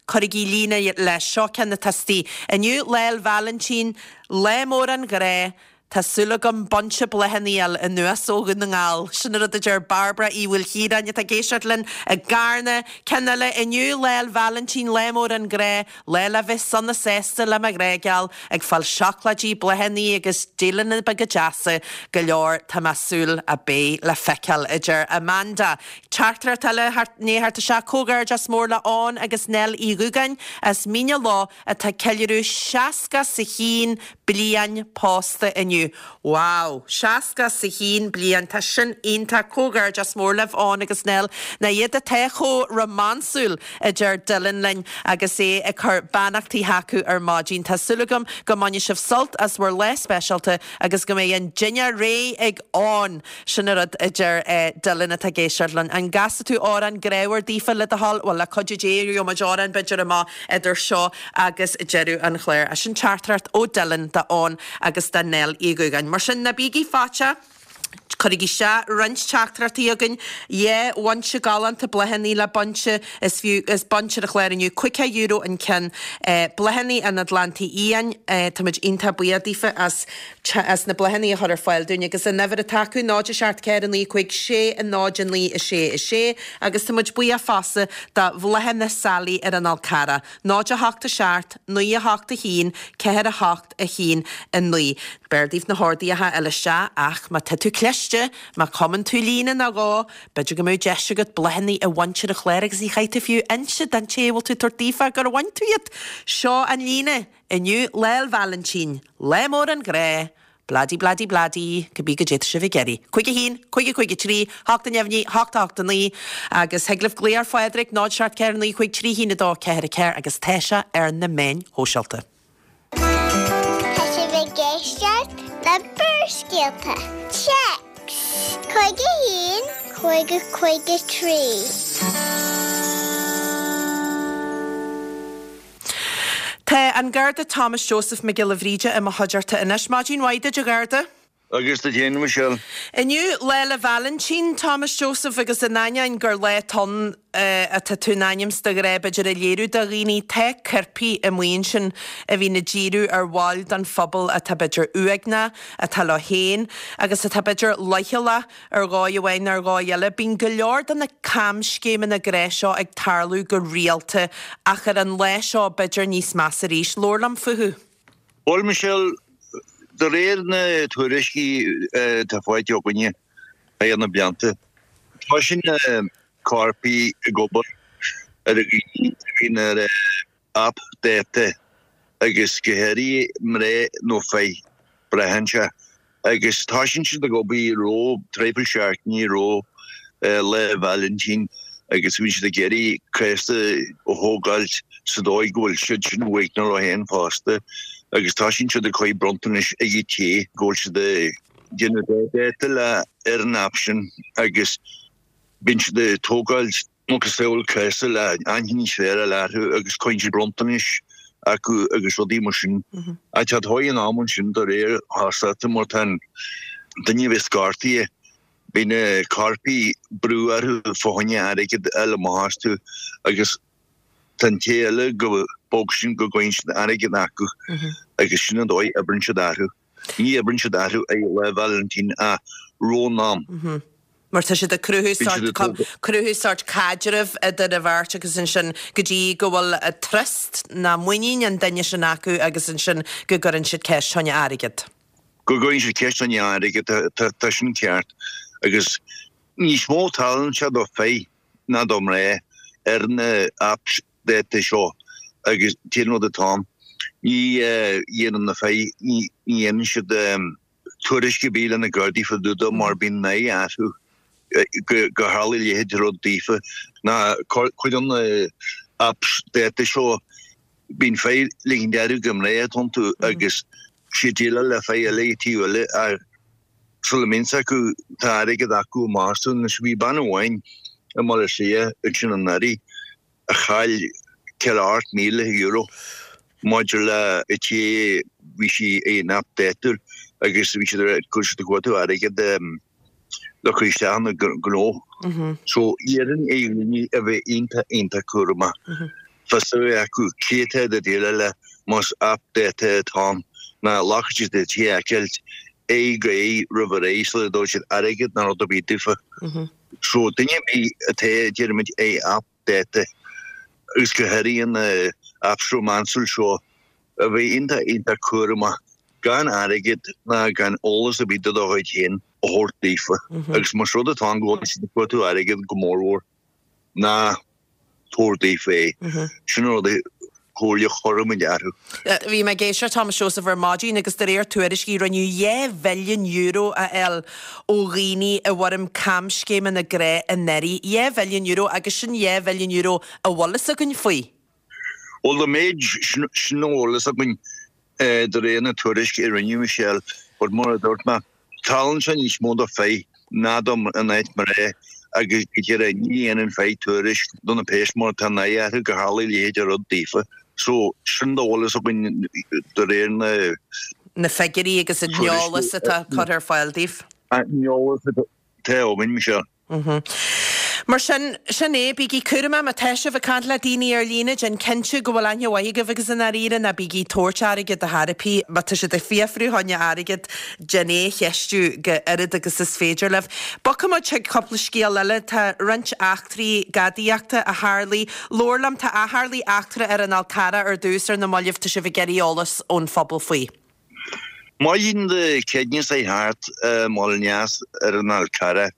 S1: cuirigí líne leis, seo ceann atá istigh, Inniu Lá'l Vailintín, lá mór an ghrá, tá súil agam bunch bláthanna a fháil anuas ó Dhún na nGall. Sin an rud a deir Barbara Uí Mhaoilchiaráin atá ag éisteacht linn i gCarna. Ceann eile, Inniu Lá'l Vailintín, lá mór an ghrá, Lá le bheith sona sásta le mo ghrá geal, ag fáil seacláidí, bláthanna agus dialanna beaga deasa go leor, tá mé súil a beidh le feiceáil, a deir Amanda. Teachtaireacht eile i ndiaidh theacht isteach, Comhghairdeas mór le Eoin agus Nell Uí Dhúgáin as Mín a' Loch atá ag ceiliúradh 61 bliain pósta inniu. Wow! 61 bliain, tá sin iontach! Comhghairdeas mór libh, Eoin agus Nell. Nach iad atá chomh rómánsúil, a deir Dylan linn agus é ag cur beannachtaí chucu ar maidin. Tá súil agam go mbainfidh sibh sult as bhur lá speisialta agus go mbeidh an dinnéar réidh ag Eoin! Sin an rud a deir Dylan atá ag éisteacht linn. An gcasfaidh tú amhrán grámhar daofa le do thoil? Bhuel, le cuidiú Dé, gheobhaidh muid amhrán b'fhéidir amach idir seo agus deireadh an chláir. Sin teachtaireacht ó Dylan do Eoin agus do Nell Uí Dhúgáin. Mar sin, ná bígí faitíoch, cuirigí isteach roinnt teachtaireachtaí chugainn. Dhá bhunse galánta bláthanna le baint, is fiú, is baint ar an chlár inniu, €50 an ceann. Bláthanna an Atlantaigh Fhiáin, táimid iontach buíoch daofa as as na bláthanna a chur ar fáil dúinn agus an uimhir atá acu, 0 7 4 9 5 6 0 9 6 6 agus tá muid buíoch fosta do Bhláthanna Sally ar an Fhál Carrach, 0 8 7 9 8 1 4 8 1 9. B'fhearr daoibh na horduithe a fháil isteach ach má tá tú cliste, má chumann tú líne nó dhó, b'fhéidir go mbeadh deis agat bláthanna a bhaint ar an chlár agus ní chaithfidh tú fiú inse don té a bhfuil tú ag tabhairt daofa gur bhain tú iad. Seo an líne! Inniu Lá'l Vailintín, lá mór an ghrá, bladi bladi bladi, cibé goidé atá sibh ag iarraidh. 5 1, 5 5 3, 8 neamhní, 8 8 9, agus thig libh glaoch ar Phádraig, 0 7 4 9 5 3 1 2 4 4, agus tá sé ar na meáin shóisialta.
S3: Tá sibh ag éisteacht le Barrscéalta. Téacs 5 1 5 5 3.
S1: Tá an Garda Thomas Joseph Mac Giolla Bhríde i mo chuideachta anois. Maidin mhaith duit, a Gharda.
S5: Agus duit féin, a Mhichelle.
S1: Inniu Lá 'le Vailintín, Thomas Joseph, agus in ainneoin gur lá atá ann atá tú in ainm 's do ghrá b'fhéidir a léiriú do dhaoine, tá coirpigh amuigh ansin a bhíonn ag díriú ar bhaill den phobal atá b'fhéidir uaigneach, atá leo féin agus atá b'fhéidir leochaileach. Ar dhóigh amháin nó ar dhóigh eile, bíonn go leor de na camscéimeanna grá seo ag tarlú go rialta, ach ar an lá seo b'fhéidir níos measa arís. Labhair liom fúthu.
S5: Bhuel, Michelle, de réir na tuairiscí atá faighte againne thar na blianta, toisíonn na coirpigh ag obair ar dhaoine a bhíonn ar aip dáta agus go háirithe mná nó fir, braitheann sé, agus toisíonn siad ag obair roimh traidhfil seachtainí roimh Lá Vailintín agus bíonn siad ag iarraidh céasta a thógáilt sa dóigh go bhfuil siad sin uaigneach leo féin fosta agus toisíonn siad ag cur bronntanais ag an té go bhfuil siad ag déanamh dáta le ar an aip sin agus bíonn siad ag tógáilt macasamhail céasta le aithne níos fearr a fháil orthu agus cuireann siad bronntanais acu agus rudaí mar sin. Ach tá dóigh in am ansin de réir shástachta mar tá an duine a bheas gortaithe, bíonn na coirpigh brú orthu fá choinne airgead a fháil amach astu agus tá an té eile go bog sin go gcuireann siad airgead acu agus sin an dóigh a oibríonn siad orthu. Ní oibríonn siad orthu ar Lá Vailintín ach roimh an am.
S1: Mar tá siad ag cruthú sórt, cruthú sórt caidrimh idir an bheirt agus ansin go dtí go bhfuil trust ná muinín an duine sin acu agus ansin go gcuireann siad ceist fá choinne airgead.
S5: Go gcuireann siad ceist fá choinne airgead, tá sin ceart. Agus níos mó tarlaíonn sé do fir ná do mná ar na apps dáta seo agus an rud atá ann, ní dhéanann na fir, ní dhéanann siad tuairisc ar bith le na Gardaí fá dtaobh de mar bíonn náire orthu gur tharla a leithéid de rud daofa. Ná cuid de na apps dáta seo, bíonn fir ag ligint orthu gur mná atá iontu agus siad ag déileáil le fir eile ag taobh eile ach sula mbíonn fhios acu tá airgead acu amach astu. Anois bhí bean amháin i mBaile Átha Cliath ansin anuraidh a chaill €48,000 maidir le té bhí sí in aip dáta agus bhí siad ag cur siad ag cuartú airgead le cur isteach ina gnó. So iarraim ar dhaoine a bheith iontach iontach cúramach. Fios a bheith acu cé atá ag déileáil le más aip dáta atá ann ná glacfaidh siad le té a fheiceáilt aghaidh go aghaidh roimh ré sula dtabharfaidh siad airgead ná rud ar bith daofa. So duine ar bith atá deirimid ar aip dáta agus go háirithe na apps rómánsúil seo a bheith iontach iontach cúramach gan airgead ná gan eolas ar bith de do chuid féin a thabhairt daofa agus más rud atá ann go bhfuil siad ag cuartú airgead go mórmhór ná tabhair daofa é. Sin an rud a chomhairle a chuirfimid orthu.
S1: Bhí mé ag éisteacht Thomas Joseph ar maidin agus de réir tuairiscí rinneadh €2 bhilliún a fháil ó dhaoine i bhfoirm camscéimeanna grá anuraidh. €2 bhilliún agus sin €2 bhilliún a bhfuil fhios againn faoi.
S5: Bhuel, an méid sin a bhfuil fhios againn de réir na tuairisce a rinneadh, Michelle, but mar a dúirt mé, tarlaíonn sé níos mó do fir ná do in áit mná agus go deimhin ní dhéanann fir tuairisc do na péas mar tá náire orthu gur tharla a leithéid de rud daofa. So, sin dá bhfuil fhios againn de réir na.
S1: na figiúirí agus an eolas atá curtha ar fáil daoibh.
S5: An eolas atá againn, Michelle.
S1: Mar sin, sin é, bígí cúramach má tá sibh ag caint le daoine ar líne, déan cinnte go bhfuil aithne mhaith agaibh agus i ndáiríre ná bígí ag tabhairt airgid ar chor ar bith. Má tá siad ag fiafrú fá choinne airgid, déan é a cheistiú go oiread agus is féidir libh. Bogfaidh muid chuig cúpla scéal eile. Tá roinnt eachtraí gadaíochta a tharlaigh. Labhair liom, tá a tharlaigh eachtra ar an Fhál Carrach ar dtús ar na mallaibh, tá sibh ag iarraidh eolas ón phobal faoi.
S5: Maidin Dé Céadaoine seo thart i mBaile an Eas ar an Fhál Carrach,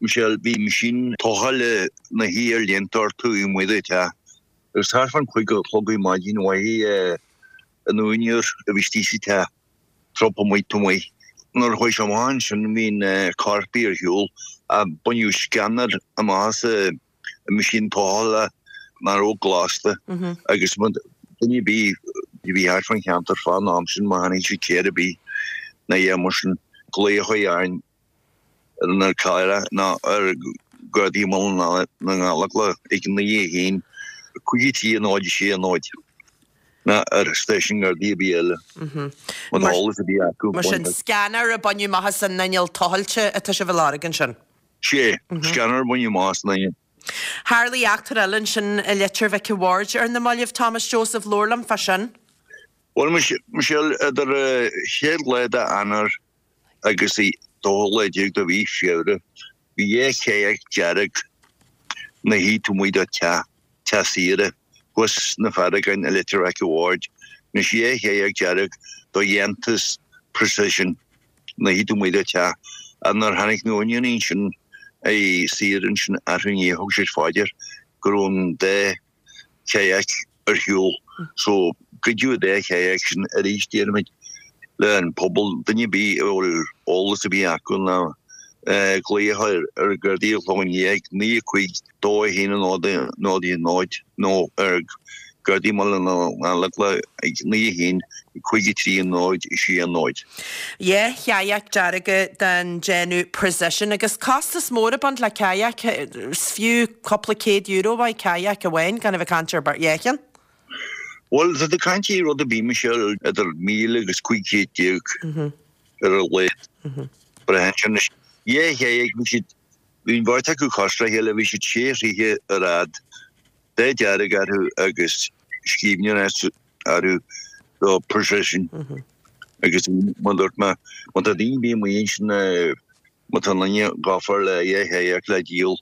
S5: Michelle, bhí meaisín tochailte ina shuí ar líonta orthu amuigh de theach agus thart fán chúig a chlog ar maidin mhothaigh an úinéir a bhí istigh sa teach trup amuigh taobh amuigh. Nuair a chuaigh sé amach ansin bhí na coirpigh ar shiúl ach baineadh scanner amach as an meaisín tochailte nach raibh gléasta agus duine ar bith a bhí thart fán cheantar fán am sin má chonaic siad cé ar bith ná a dhath mar sin glaoch a chur orainn ar an Fhál Carrach nó ar Ghardaí Bhaile na nGallóglach ag 9 1 5 3 0 6 0 ná ar stáisiún Gardaí ar bith eile. Má tá eolas ar bith acu.
S1: Mar sin, scanner a baineadh amach as an inneall tochailte atá sibh a lorg ansin.
S5: Sea, scanner a baineadh amach as an inneall.
S1: Tharlaigh eachtra eile ansin i Leitir Mhic a' Bhaird ar na mallaibh, Thomas Joseph, labhair liom fá sin.
S5: Bhuel, Michelle, idir an chéad lá d'Eanáir agus an dóú lá déag de mhí Feabhra, bhí dhá kayak dearg ina shuí taobh amuigh de teach, teach saoire, thuas sna Fearagáin i Leitir Mhic a' Bhaird. Anois dhá kayak dearg de dhéantús Precision ina shuí taobh amuigh de teach. Ach nuair a tháinig na húinéirí ansin ar saoire ansin arú inné thug siad fá dear go raibh an dá kayak ar shiúl. So, goideadh an dá kayak sin arís déarfaimid le an pobal, duine ar bith a bhfuil eolas ar bith acu ná glaoch ar ar Ghardaí an Chlocháin Liath ag 9 5 2 1 0 0 0 nó ar Gardaí Bhaile na nGallóglach ag 9 1 5 3 0 6 0.
S1: Dhá kayak dearga den déanamh Precision agus costas mór ag baint le kayak, is fiú cúpla céad euro mhaith kayak amháin, gan a bheith ag caint ar dhá cheann.
S5: Bhuel, tá tú ag caint ar rud ar bith, Michelle, idir 1,000 agus 1500 ar a laghad. Braitheann sé anois. Dhá kayak, bhí siad, bhí an bheirt acu cosúil le chéile, bhí siad sé throithe ar fhad, dath dearg orthu agus scríbhneoireacht orthu do Precision. Agus mar a dúirt mé, má tá daoine ar bith amuigh ansin. Má tá duine gafa le dhá chadhach le díol,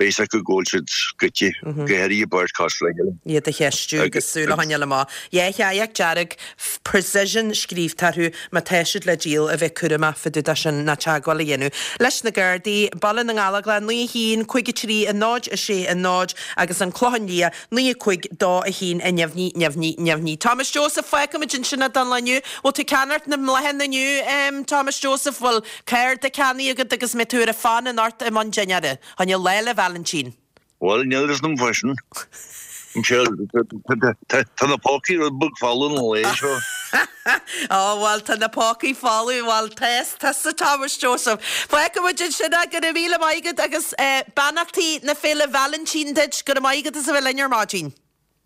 S5: beidh a fhios acu go bhfuil siad goidte, go háirithe beirt cosúil le chéile.
S1: Iad a cheistiú agus súil a choinneáil amach. Dhá chadhach dearg Precision scríobhta orthu, má tá siad le díol, a bheith cúramach fá dtaobh de sin ná teagmháil a dhéanamh leis na Gardaí, Baile na nGallóglach 9 1 5 3 0 6 0 agus An Clochán Liath 9 5 2 1 neamhní neamhní neamhní. Thomas Joseph, Fágfaimid ansin é don lá inniu. Bhfuil tú ag ceannacht na mbláthanna inniu, Thomas Joseph? Bhfuil cárta ceannaithe agat agus mbeidh tú ar an bhfón anocht i mbun dinnéara? Choinne Lá 'le Vailintín.
S5: Bhuel, níl fhios agam fá sin. Tá na pócaí rud beag folamh an lae seo.
S1: Ó, bhuel, tá na pócaí folamh, bhuel, tá tusa Thomas Joseph. Fágfaimid ansin é, go raibh míle maith agat agus beannachtaí na Féile Vailintín duit, go raibh maith agat as a bheith linn ar maidin.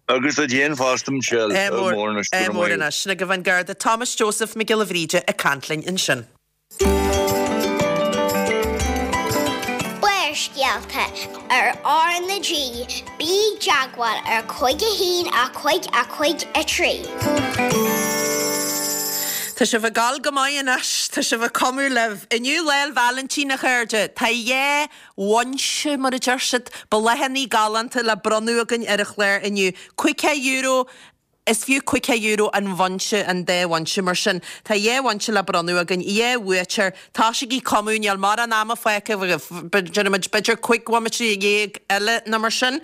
S5: Agus duit féin fosta, Michelle.
S1: Ádh mór anois, go raibh maith agat. Ádh mór anois. Sin agaibh an Garda Thomas Joseph Mac Giolla Bhríde ag caint linn ansin.
S3: Barrscéalta ar R na G, bí i dteagmháil ar 5 1 5 5 3.
S1: Tá sibh ag gabháil go maith anois, tá sibh ag cumadh libh. Inniu Lá 'le Vailintín, a chairde. Tá dhá bhunse, mar a deir siad, bláthanna galánta le bronnadh againn ar an chlár inniu. €50 Is fiú €50 an bhunse, an dá bhunse. Mar sin, tá dhá bhunse le bronnadh againn, dhá bhuaiteoir. Tosaígí ag cumadh, níl mórán ama fágtha agaibh, déarfaimid b'fhéidir 15 bhomaite eile nó mar sin.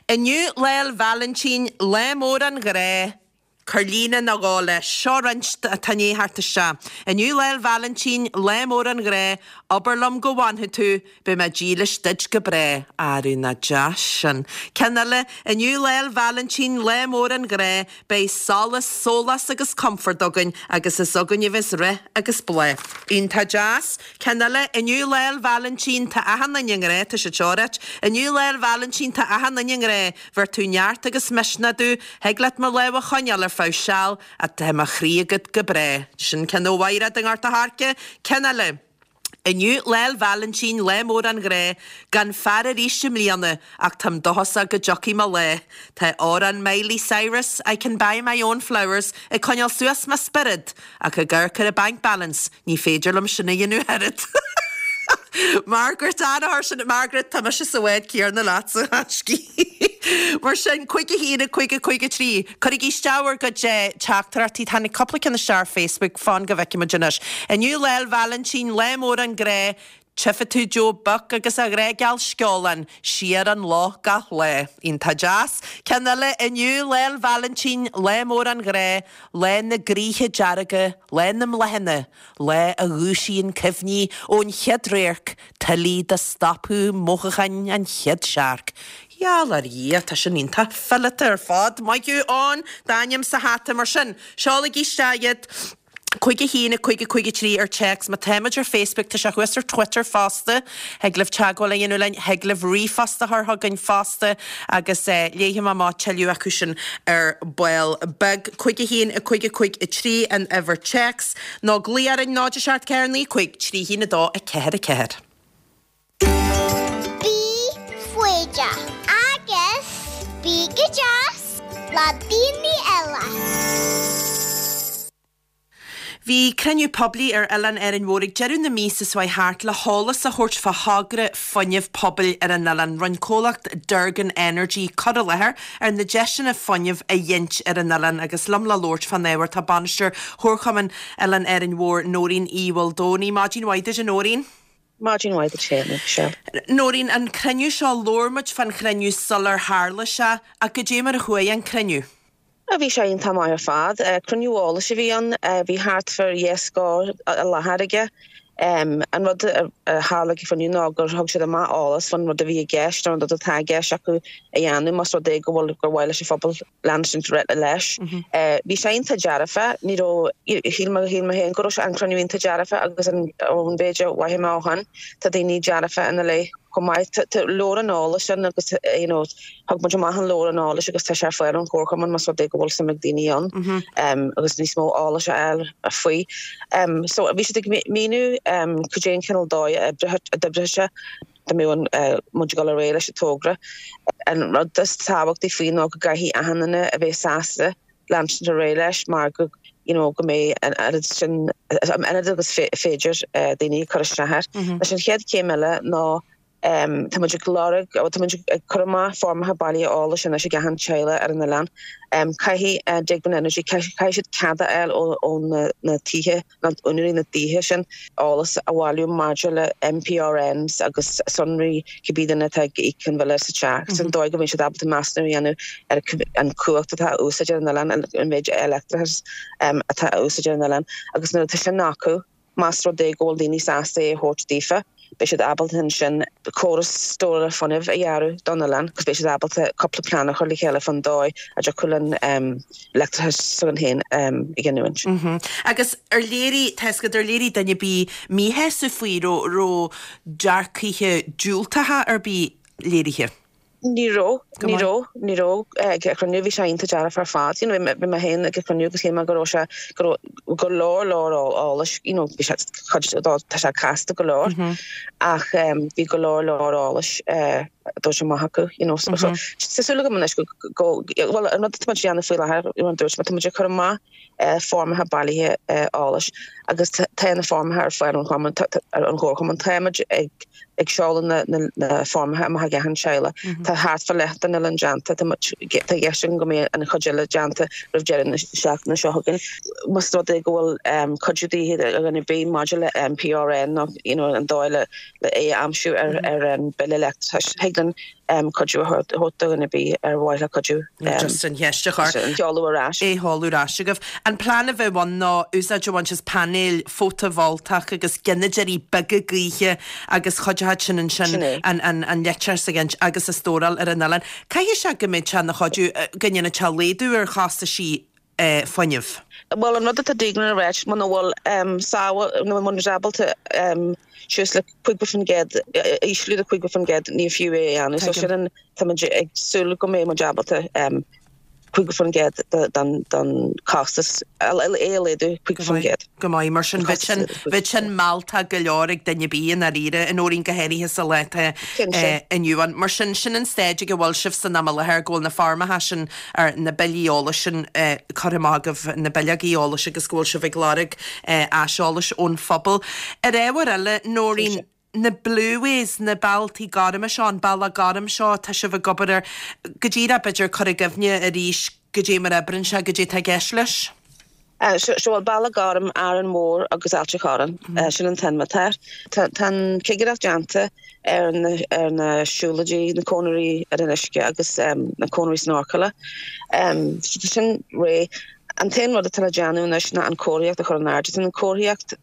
S1: Inniu Lá 'le Vailintín, lá mór an ghrá, cuir líne nó dhó leis. Seo roinnt atá i ndiaidh theacht isteach. Inniu Lá 'le Vailintín, lá mór an ghrá, abair liom go bhfanfaidh tú, Beidh mé dílis duit go bráth. Arú nach deas sin. Ceann eile, Inniu Lá 'le Vailintín, lá mór an ghrá, beidh solas, sólás agus comfort againn agus is againn a bheas rath agus bláth. Iontach deas. Ceann eile, Inniu Lá 'le Vailintín, tá achan duine i ngrá, tá siad seo ag ráit. Inniu Lá 'le Vailintín, tá achan duine i ngrá, bheir tú neart agus misneach domh, thig leat mo lámh a choinneáil ar feadh seal, ach tá mo chroí agat go bráth. Sin ceann ó Mhaighread i nGort a' Choirce. Ceann eile. Inniu Lá 'le Vailintín, lá mór an ghrá, gan fear arís i mbliana, ach táim dóchasach go dtiocfaidh mo lá. Tá amhrán Miley Cyrus, I Can Buy My Own Flowers, ag coinneáil suas mo spiorad, ach ag amharc ar an bank balance, ní féidir liom sin a dhéanamh oiread. Margaret an-fhear sin, Margaret, tá mise sa bhád céanna leatsa, a thaiscí. Mar sin, 5 1 5 5 3. Cuirigí isteach bhur gcuid teachtaireachtaí, tháinig cúpla ceann isteach ar Facebook, fan go bhfeicfidh muid anois. Inniu Lá 'le Vailintín, lá mór an ghrá, tchífidh tú Joe Buck agus a ghrá geal sceolán, siar an loch gach lá. Iontach deas. Ceann eile, Inniu Lá 'le Vailintín, lá mór an ghrá, lá na gcroíthe dearga, lá na mbláthanna, lá a dhúisíonn cuimhní ón chéad radharc, tuilleadh de stopadh mothúcháin an chéad searc. Gheall ar Dhia, tá sin iontach fileata ar fad. Maith thú, Eoin, d'ainm sa hata. Mar sin, seolaigí isteach iad. 5 1 5 5 3 ar téacs. Má táimid ar Facebook, tá sé thuas ar Twitter fosta. Thig libh teagmháil a dhéanamh linn, thig libh ríomhphost a chur chugainn fosta agus léifidh mé amach tuilleadh acu sin ar ball beag. 5 1 5 5 3 an uimhir téacs nó glaoigh orainn 0 7 4 9 5 3 1 2 4 4.
S3: Bí foighdeach agus bí go deas le daoine eile.
S1: Bhí cruinniú poiblí ar Oileán Árainn Mhór ag deireadh na míosa seo chuaigh thart le heolas a thabhairt fá thogra fuinnimh pobail ar an oileán. Rinne comhlacht Durgan Energy cur i láthair ar na deiseanna fuinnimh a ghint ar an oileán agus liom le labhairt fán ábhar tá Bainisteoir Chomharchumann Oileán Árainn Mhór, Nóirín Uí Mhaoldomhnaigh. Maidin mhaith duit a Nóirín.
S6: Maidin mhaith duit féin, a Mhichelle.
S1: Nóirín, an cruinniú seo, labhair muid fán chruinniú sular tharla sé, ach goidé mar a chuaigh an cruinniú?
S6: Bhí sé iontach maith ar fad. Cruinniú eolais a bhí ann. Bhí thart far dhá scór i láthair aige. An rud a tharla ag an chruinniú ná gur thug siad amach eolas faoin rud a bhí i gceist, an rud atá i gceist acu a dhéanamh más rud é go bhfuil gur mhaith leis an phobal leanúint leis. Bhí sé iontach dearfa, ní raibh, shíl mé, shíl mé féin go raibh sé an cruinniú iontach dearfa agus an ón mhéid a mhothaigh mé ó shin, tá daoine dearfa ina leith chomh maith. Tá leabhrán eolais ann agus you know thug muid amach an leabhrán eolais agus tá sé ar fáil ón chomharchumann más rud é go bhfuil suim ag daoine ann agus níos mó eolais a fháil faoi. So bhí siad ag míniú cad é an cineál dóigh a d'oibreodh sé. dá mbeadh muid ag dul ar aghaidh leis an togra. An rud is tábhachtaí faoi ná go gcaithfidh achan duine a bheith sásta leanstan ar aghaidh leis mar go. you know go mbeidh an oiread sin, an oiread agus féidir daoine ag cur isteach air. Anois an chéad chéim eile ná tá muid ag lorg, tá muid ag cur amach foirmeacha bailithe eolais anois ag achan teaghlach ar an oileán. Caithfidh Degvin Energy, caithfidh siad cead a fháil ó na tithe, nó úinéirí na dtithe sin, eolas a bhailiú maidir le MPRNs agus sonraí cibé duine atá ag íoc an bhille sa teach. Sin dóigh go mbeidh siad ábalta measúnú a dhéanamh ar an chumhacht atá á úsáid ar an oileán, an méid leictreachais atá á úsáid ar an oileán agus nuair atá sin acu, Más rud é go bhfuil daoine sásta é a thabhairt daofa, beidh siad ábalta ansin córas stórála fuinnimh a dhearadh don oileán agus beidh siad ábalta cúpla plean a chur le chéile fán dóigh a dtiocfadh linn leictreachas s'againn féin a ghiniúint.
S1: Agus ar léirigh, tá 'fhios agat, ar léirigh duine ar bith míshásamh faoi, raibh, raibh dearcaithe diúltacha ar bith léirithe?
S6: Ní raibh, ní raibh, ní raibh ag an chruinniú, bhí sé iontach dearfach ar fad. You know, bhí mé féin ag an chruinniú agus shíl mé go raibh sé, go raibh go leor leor eolais, you know, bhí sé, cuid dó, tá sé casta go leor ach bhí go leor leor eolais a dtabhairt amach acu, you know. So, so, tá súil agam anois go, go, bhuel, an rud atá muid a dhéanamh faoi láthair, mar a dúirt mé, tá muid ag cur amach foirmeacha bailithe eolais agus tá na foirmeacha ar fáil ón chumann, ón chomharchumann. Táimid ag ag seoladh na na foirmeacha amach ag achan teaghlach. Tá thart fá leath den oileán déanta. Tá muid tá i gceist againn go mbeidh an chuid eile déanta roimh deireadh na seachtaine seo chugainn. Más rud é go bhfuil cuidiú de dhíth ar dhuine ar bith maidir le MPRN nó you know an dóigh le le é a aimsiú ar ar an bille leictreachais, thig linn cuidiú a thabhairt do dhuine ar bith ar mhaith leo cuidiú.
S1: Just an cheist a chur.
S6: An seoladh ar ais.
S1: É sheoladh ar ais agaibh. An plean a bheadh ann ná úsáid a bhaint as painéil fótavoltach agus gineadóirí beaga gaoithe agus chuideodh sin ansin an leictreachas a ghint agus a stóráil ar an oileán. Caithfidh sé go mbeidh sé ina chuidiú, go ndéanfaidh sé laghdú ar chostaisí fuinnimh.
S6: Bhuel, an rud atá Deignan a ráit, muna bhfuil sábháil, nó muna bhfuil ábalta suas le 50%, ísliú de 50%, ní fiú é a dhéanamh. So sin an, tá muid ag súil go mbeidh muid ábalta 50% den chostas, é a laghdú 50%.
S1: Go maith, mar sin bheadh sin, bheadh sin mealltach go leor ag duine ar bith i ndáiríre, a Nóirín, go háirithe sa lá atá inniu ann. Mar sin, sin an staid ag a bhfuil sibh san am i láthair, go bhfuil na foirmeacha sin, ar na billí eolais sin curtha amach agaibh, na bileogaí eolais agus go bhfuil sibh ag lorg aiseolais ón phobal. Ar ábhar eile, Nóirín, na Blueways, na bealtaí gorma seo, an bealach gorm seo atá sibh ag obair air, go díreach b'fhéidir cur i gcuimhne arís goidé mar a oibríonn sé, goidé atá i gceist leis.
S6: Seo bhuel Bealach Gorm, Árainn Mhór agus Ailt an Chorráin. Sin an t-ainm atá air. Tá an chigireacht déanta ar ar na siúlóidí, na cónairí ar an uisce agus na cónairí snorcála. Tá sin réidh. An t-aon rud atá le déanamh anois ná an comharthaíocht a chur in airde. Tá an comharthaíocht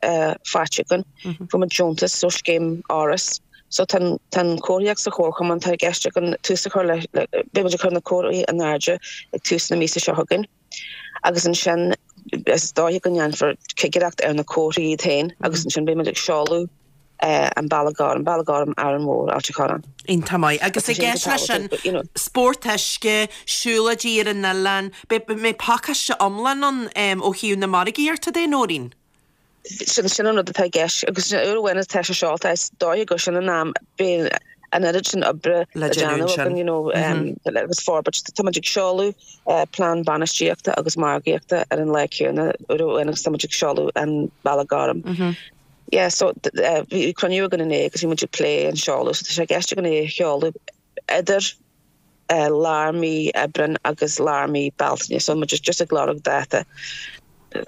S6: faighte againn. Fuair muid deontas ó scéim Áras. So tá an tá an comharthaíocht sa chomharchumann. Tá i gceist againn tús a chur le beidh muid ag cur na comharthaí in airde ag tús na míosa seo chugainn. Agus ansin is dóiche go ndéanfar cigireacht ar na comharthaí iad féin agus ansin beidh muid ag seoladh an Bealach Gorm, Bealach Gorm Árainn Mhór, Ailt an Chorráin.
S1: Iontach maith. Agus i gceist leis sin, spórt uisce, siúlóidí ar an oileán, beidh pacáiste iomlán ann ó thaobh na margaíochta de, Nóirín?
S6: Sin sin an rud atá i gceist agus uair amháin atá sé seolta is dóiche gur sin an am beidh an oiread sin oibre le déanamh againn you know agus forbairt. Tá muid ag seoladh plean bainistíochta agus margaíochta ar an lá céanna uair amháin agus tá muid ag seoladh an Bealach Gorm. Yeah so bhí cruinniú againn inné agus bhí muid ag plé an seoladh so tá sé i gceist againn é a sheoladh idir lár mí Aibreáin agus lár mí Bealtaine so muid just ag lorg dáta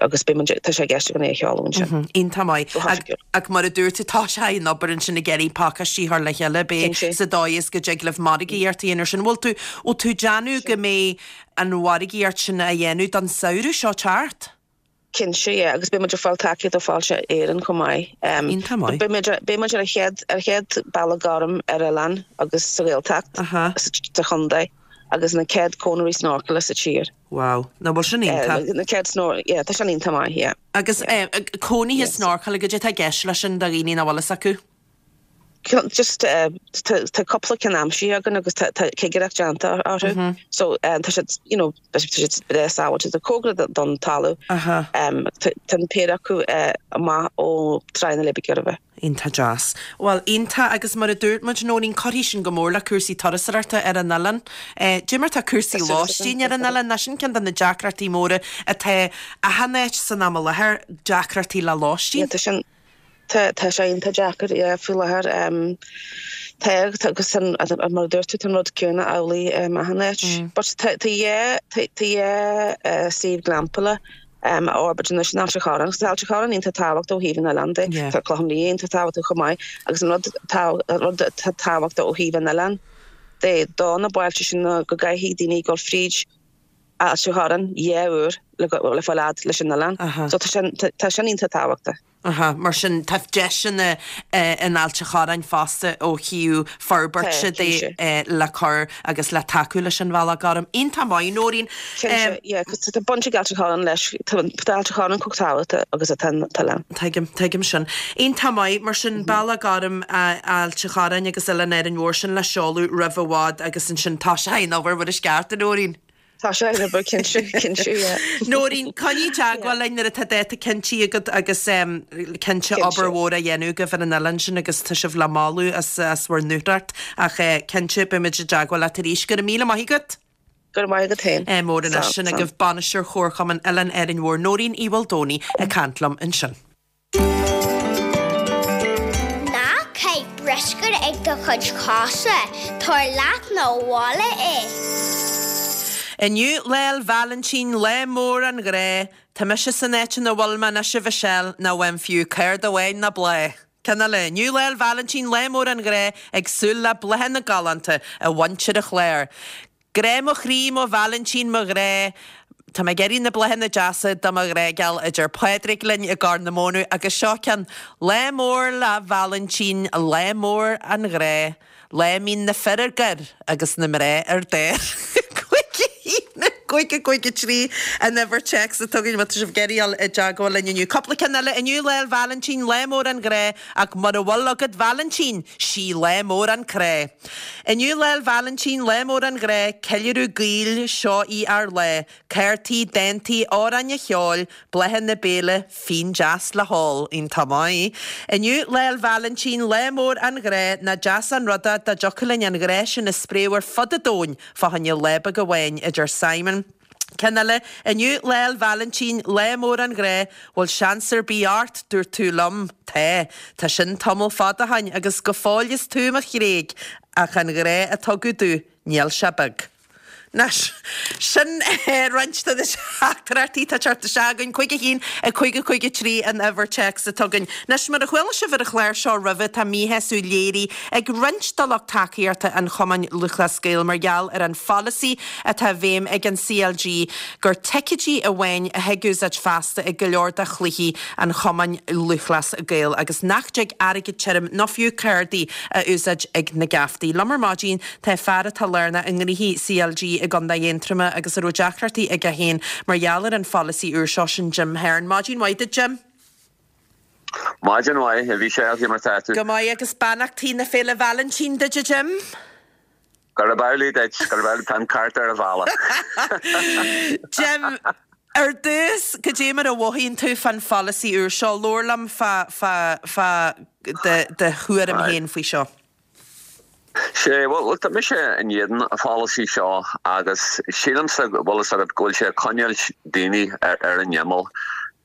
S6: agus beidh muid, tá sé i gceist againn é a sheoladh ansin.
S1: Iontach maith. Ach mar a dúirt tú, tá sé in obair ansin ag iarraidh pacáistí a chur le chéile, beidh sa dóigh is go dtig libh margaíocht a dhéanamh ar sin. Bhfuil tú, bhfuil tú ag déanamh go mbeidh an mhargaíocht sin á dhéanamh don samhradh seo teacht?
S6: Cinnte, yeah, agus beidh muid ag fáil tacaíocht ó Fáilte Éireann chomh maith.
S1: Iontach maith.
S6: Beidh muid, beidh muid ar an chéad, ar chéad bealach gorm ar oileán agus sa Ghaeltacht, sa chontae, agus na céad cónairí snorcála sa tír.
S1: Wow, nach bhfuil sin iontach?
S6: Na céad snor, yeah, tá sin iontach maith, yeah.
S1: Agus cónaithe snorcála, goidé atá i gceist leis sin do dhaoine nach bhfuil fhios acu?
S6: Just tá cúpla ceann aimsithe againn agus tá cigireacht déanta orthu. So tá siad, you know, tá siad breá sábháilte, tá cóngarach don talamh. Tá an péire acu amach ó Tráigh na Leidhbe Gairbhe.
S1: Iontach deas. Bhuel, iontach agus mar a dúirt muid, Nóirín, cuirfidh sin go mór le cúrsaí turasóireachta ar an oileán. Dé mar tá cúrsaí lóistín ar an oileán, ná sin ceann de na deacrachtaí móra atá achan áit san am i láthair, deacrachtaí le lóistín.
S6: Yeah, tá sin, tá, tá sé iontach deacair, yeah, faoi láthair. Tá, tá, agus an, mar a dúirt tú, tá an rud céanna amhlaidh achan áit. But tá, tá dhá, tá, tá dhá suíomh glampála á fhorbairt anois in Ailt an Chorráin agus tá Ailt an Chorráin iontach tábhachtach ó thaobh an oileáin de. Tá Clochán Liath iontach tábhachtach chomh maith agus an rud an rud atá tábhachtach ó thaobh an oileáin de do na bailte sin ná go gcaithfidh daoine dul fríd Ailt an Chorráin dhá uair le le fáil fhad leis an oileán. So tá sin tá sin iontach tábhachtach.
S1: Aha, mar sin tá deiseanna in Ailt an Chorráin fosta ó thaobh forbairte de le cur agus le tacú leis an Bhealach Gorm. Iontach maith, Nóirín.
S6: Cinnte, yeah, 'cause tá baint ag Ailt an Chorráin leis, tá Ailt an Chorráin chomh tábhachtach agus atá an t-oileán.
S1: Tuigim, tuigim sin. Iontach maith, mar sin Bealach Gorm Ailt an Chorráin agus Oileán Árainn Mhór sin le seoladh roimh i bhfad agus ansin tá sé in obair Mhuirisceart, a Nóirín.
S6: Tá sé ag obair, cinnte, cinnte, yeah.
S1: Nóirín, coinnigh i dteagmháil linn nuair atá dáta cinntí agat agus cinnte obair mhór á dhéanamh agaibh ar an oileán sin agus tá sibh le moladh as as bhur ndúthracht ach cinnte beimid i dteagmháil leat arís. Go raibh míle maith agat.
S6: Go raibh maith agat féin.
S1: Mór anois sin agaibh Bainisteoir Chomharchumann Oileán Árainn Mhór Nóirín Uí Mhaoldomhnaigh ag caint liom ansin.
S3: Ná caith bruscar ag do chuid cosa, tabhair leat 'na bhaile é.
S1: Inniu Lá 'le Vailintín, lá mór an ghrá. Tá mise san áit ina bhfuil mé anois a Mhichelle, nach bhfaighim fiú cárta amháin ná bláth. Ceann eile, Inniu Lá 'le Vailintín, lá mór an ghrá, ag súil le bláthanna galánta ó mhuintir an Chláir. Grá mo chroí, mo Vailintín, mo ghrá, Tá mé ag iarraidh na bláthanna deasa do mo ghrá geal, a deir Pádraig linn i gCorr na Móna agus seo ceann, Lá mór Lá Vailintín, lá mór an ghrá, Lá a mbíonn na fir ar gor agus na mná ar dáir. 5 1 5 5 3 an uimhir téacs atá againn má tá sibh ag iarraidh dul i dteagmháil linn inniu. Cúpla ceann eile, Inniu Lá Vailintín, lá mór an ghrá, ach mura bhfuil agat Vailintín, sí lá mór an crá. Inniu Lá 'le Vailintín, lá mór an ghrá, ceiliúradh gaoil, seo í ár lá, cártaí, dántaí, amhráin an cheoil, bláthanna béile, fíon deas le hól. Iontach maith. Inniu Lá 'le Vailintín, lá mór an ghrá, nach deas an rud é dá dtiocfadh linn an ghrá sin a spréadh ar fud an domhain fá choinne lá beag amháin, a deir Simon. Ceann eile, Inniu Lá 'le Vailintín, lá mór an ghrá, bhfuil seans ar bith ort, dúirt tú liom, tá, tá sin tamall fada ó shoin agus go fóill is tú mo thréig, ach an ghrá a tugadh domh, níl sé beag. Anois, sin roinnt de na teachtaireachtaí atá ag teacht isteach againn, 5 1 5 5 3 an uimhir téacs atá againn. Anois, mar a chuala sibh ar an chlár seo roimhe, tá míshásamh léirithe ag roinnt de lucht tacaíochta an Chumainn Lúthchleas Gael mar gheall ar an pholasaí atá i bhfeidhm ag an CLG gur ticéidí amháin a thig úsáid feasta ag go leor de chluichí an Chumainn Lúthchleas Gael agus nach dtig airgead tirim nó fiú cárdaí a úsáid ag na geaftaí. Liom ar maidin tá fear atá lárnach i ngnoithí CLG i gContae Aontroma agus a raibh deacrachtaí aige féin mar gheall ar an pholasaí úr seo, sin Jim Hearne. Maidin mhaith duit Jim.
S7: Maidin mhaith, a Mhichelle, cé mar tá tú?
S1: Go maith agus beannachtaí na Féile Vailintín duit a Jim.
S7: Gurab amhlaidh duit, gurab amhlaidh, tá an cárta ar an bhealach.
S1: Jim, ar dtús, cad é mar a mhothaíonn tú fán pholasaí úr seo? Labhair liom fá, fá, fá do, do thuairim féin faoi seo.
S7: Sé, bhuel, tá mise in éadan an pholasaí seo agus sílimse, bhfuil fhios agat, go bhfuil sé ag coinneáil daoine ar an imeall.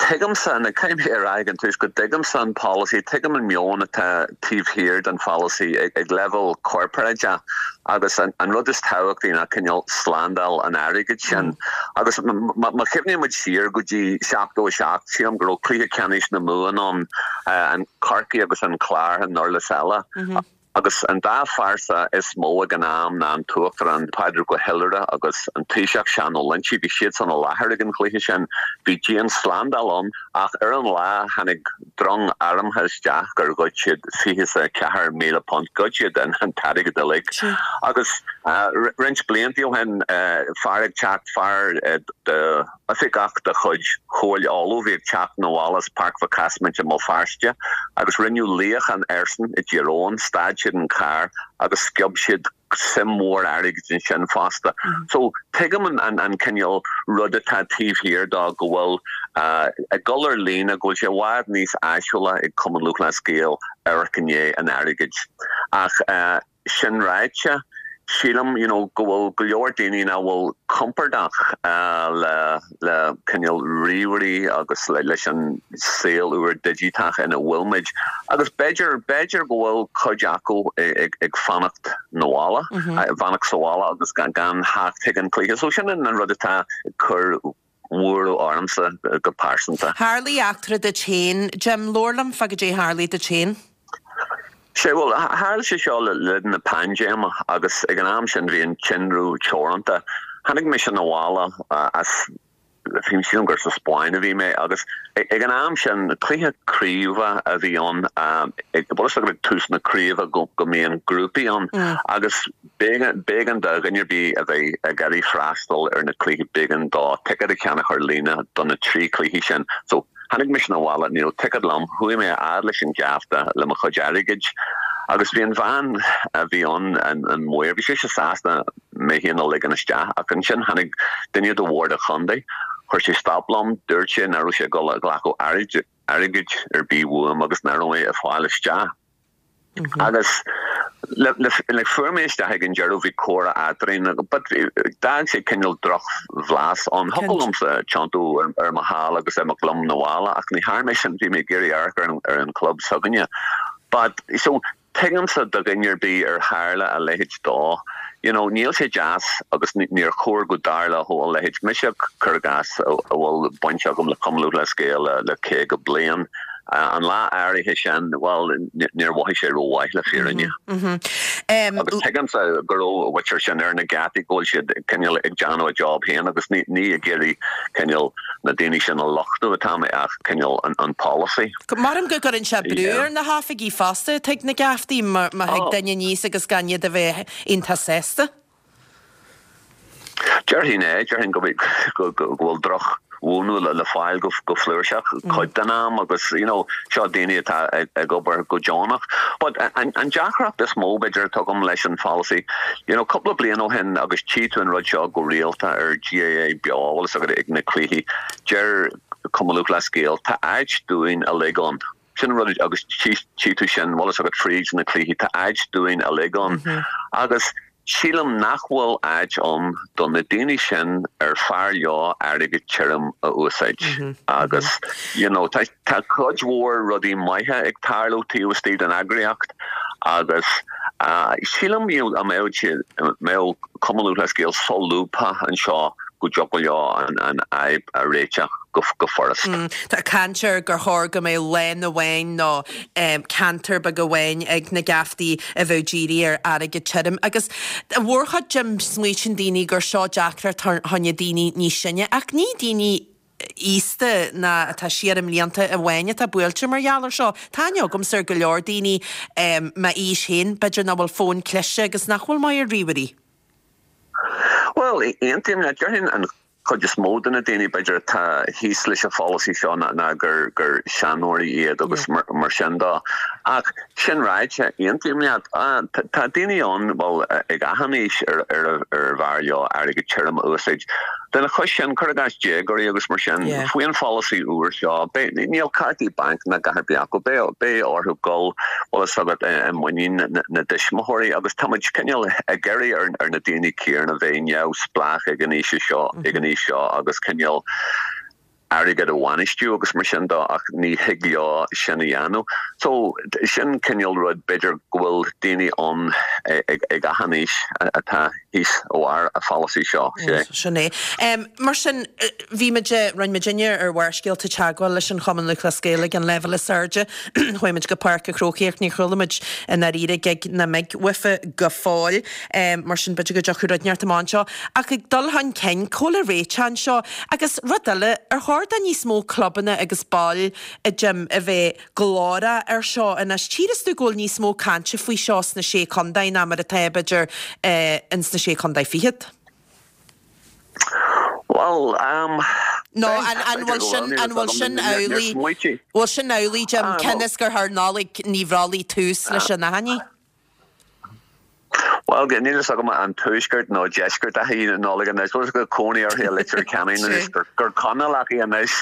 S7: Tuigimse, and caithfidh mé a rá ag an tús go dtuigimse an polasaí, tuigim an meon atá taobh thiar den pholasaí ag leibhéal corparáideach agus an rud is tábhachtaí ná cineál slándáil an airgid sin. Agus má chuimhníonn muid siar go dtí 77, sílim go raibh cluiche ceannais na Mumhan ann, an Corcaigh agus an Clár i nDurlas Éile. Agus an dá phearsa is mó ag an am ná an tUachtarán Pádraig Ó hIolaire agus an Taoiseach Seán Ó Loinsigh, bhí siadsan i láthair ag an chluiche sin. Bhí dian-slándáil ann. Ach ar an lá, tháinig drong armtha isteach gur ghoid siad £24,000, ghoid siad an t-airgead uilig. Agus roinnt blianta ó shin, fear ag teacht, fear de oifigeach de chuid Chomhairle Uladh a bhí ag teacht 'na bhaile as Páirc Mhic Easmaint i mBéal Feirste agus rinneadh luíochán airsean i dTír Eoghain, stad siad an carr agus sciob siad suim mhór airgid ansin fosta. So tuigim an cineál rud atá taobh thiar dó go bhfuil ag dul ar líne, go bhfuil sé i bhfad níos áisiúla ag Cumann Lúthchleas Gael amharc i ndiaidh an airgid. Ach sin ráite, sílim you know go bhfuil go leor daoine nach bhfuil compordach le le cineál ríomhairí agus leis an saol úr digiteach ina bhfuil muid agus b'fhéidir, b'fhéidir go bhfuil cuid acu ag fanacht na bhaile, ag fanacht sa bhaile agus gan theacht chuig an cluiche. So sin an rud atá ag cur buaireamh ormsa go pearsanta.
S1: Tharlaigh eachtra duit féin, Jim, labhair liom fá goidé tharlaigh duit féin.
S7: Sea, bhuel, tharla sé seo le linn na paindéime agus ag an am sin bhí an tinreamh teoranta. Tháinig mise 'na bhaile as, sílim gur sa Spáinn a bhí mé agus ag an am sin cluiche craoibhe a bhí ann, bhfuil fhios agat ag tús na craoibhe go mbíonn grúpaí ann agus b'éigean do dhuine ar bith a bheith ag iarraidh freastal ar na cluichí, b'éigean dó ticéad a cheannach ar líne do na trí chluiche sin. So, Tháinig mise 'na bhaile, ní raibh ticéad liom, chuaigh mé a fhad leis an gheafta le mo chuid airgid agus bhí an bhean a bhí ann, an maor, bhí sise sásta mé féin a ligean isteach ach ansin tháinig duine de bhord an chontae, chuir sé stop liom, dúirt sé nach raibh sé ag dul a ghlacadh airgid ar bith uaim agus nach raibh mé ag fáil isteach. Agus le fuair mé isteach ag an deireadh bhí comhrá eadrainn but d'fhág sé cineál drochbhlas ann. Thiocfadh liomsa tiontú ar mo sheal agus imeacht liom 'na bhaile ach ní dhearna mé sin, bhí mé ag iarraidh amharc ar an chlub s'againne. But so tuigimse do dhuine ar bith ar tharla a leithéid dó. You know níl sé deas agus níor chóir go dtarlódh a leithéid. Mise cuir i gcás a bhfuil baint agam le Cumann Lúthchleas Gael le 50 bliain. An lá áirithe sin, bhuel, níor mhothaigh sé rómhaith le fírinne. Agus tuigimse go raibh an mhuintir sin ar na geataí, go bhfuil siad cineál ag déanamh a job féin agus ní ag iarraidh cineál na daoine sin a lochtú atá mé ach cineál an polasaí.
S1: Maram go gcuireann sé brú ar na hoifigigh fosta atá ag na geaftaí má thig duine aníos agus gan iad a bheith iontach sásta.
S7: Déarfainn é, déarfainn go bhfuil drochmhúineadh le fáil go flúirseach cuid den am agus you know seo daoine atá ag obair go deonach. But an deacracht is mó b'fhéidir atá agam leis an pholasaí, you know cúpla bliain ó shin agus tchí tú an rud seo go rialta ar GAA Beo, bhfuil fhios agat ag na cluichí, deir Cumann Lúthchleas Gael tá áit dúinn uilig ann. Sin an rud agus tchí tú sin, bhfuil fhios agat fríd na cluichí, tá áit dúinn uilig ann agus sílim nach bhfuil áit ann do na daoine sin ar fearr leo airgead tirim a úsáid agus you know tá tá cuid mhór rudaí maithe ag tarlú taobh istigh den eagraíocht agus sílim you know a mbeadh siad mbeadh Cumann Lúthchleas Gael solúbtha anseo go dtiocfadh leo an fhadhb a réiteach go furast.
S1: Tá caint ar gur chóir go mbeadh lán amháin nó ceantar beag amháin ag na geaftaí a bheadh dírithe ar airgead tirim agus i mórchuid Jim smaoitíonn daoine gur seo deacracht fá choinne daoine níos sine ach ní daoine aosta ná atá siar i mblianta amháin atá buailte mar gheall ar seo. Tá aithne agamsa ar go leor daoine m'aois féin b'fhéidir nach bhfuil fón cliste agus nach bhfuil maith ar ríomhairí.
S7: Bhuel, aontaím leat. Déarfainn an chuid is mó de na daoine, b'fhéidir, atá thíos leis an pholasaí seo ná gur gur seanóirí iad agus mar sin dó. Ach sin ráite, aontaím leat. Tá daoine ann, bhuel, ag achan aois ar ar bhfearr leo airgead tirim a úsáid. Lena chois sin, cuir i gcás déagóirí agus mar sin, faoi an pholasaí úr seo, beidh, níl cártaí bainc ná a dhath ar bith acu, beidh, beidh orthu dul, bhfuil fhios agat, i muinín na dtuismitheoirí agus tá muid cineál ag iarraidh ar, ar na daoine céanna bheith neamhspleách ag an aois seo, ag an aois seo agus cineál airgead a bhainistiú agus mar sin dó ach ní thig leo sin a dhéanamh. So, sin cineál rud, b'fhéidir go bhfuil daoine ann ag, ag achan aois atá thíos ó bharr an pholasaí seo.
S1: Sea. Sin é. Mar sin, bhí muid, rinne muidinne ar Bharrscéalta teagmháil leis an Chumann Lúthchleas Gael ag an leibhéal is airde. Chuaigh muid go Páirc an Chrócaigh ach níor chuala muid i ndáiríre gig ná mig uafa go fóill. Mar sin, b'fhéidir go dtiocfaidh rud inteacht amach anseo. Ach ag dul chun cinn, cá bhfuil an réiteach anseo? Agus rud eile, ar chóir. chóir do níos mó clubanna agus baill, a Jim, a bheith glórach ar seo anois. Tchíreas tú go bhfuil níos mó cainte faoi seo sna Sé Contae ná mar atá, b'fhéidir, ins na Sé Contae Fichead.
S7: Bhuel, ehm,
S1: Nó an an bhfuil sin, an bhfuil sin amhlaidh, bhfuil sin amhlaidh, Jim, cionn is gur chuir Nollaig Ní Bhrollaigh tús leis an achainí?
S7: Bhuel, níl fhios agam an tuaisceart nó deisceart a hí Nollaig anois. Bhfuil fhios agat cónaí uirthi i Leitir Ceanainn anois, gur Conallach í anois.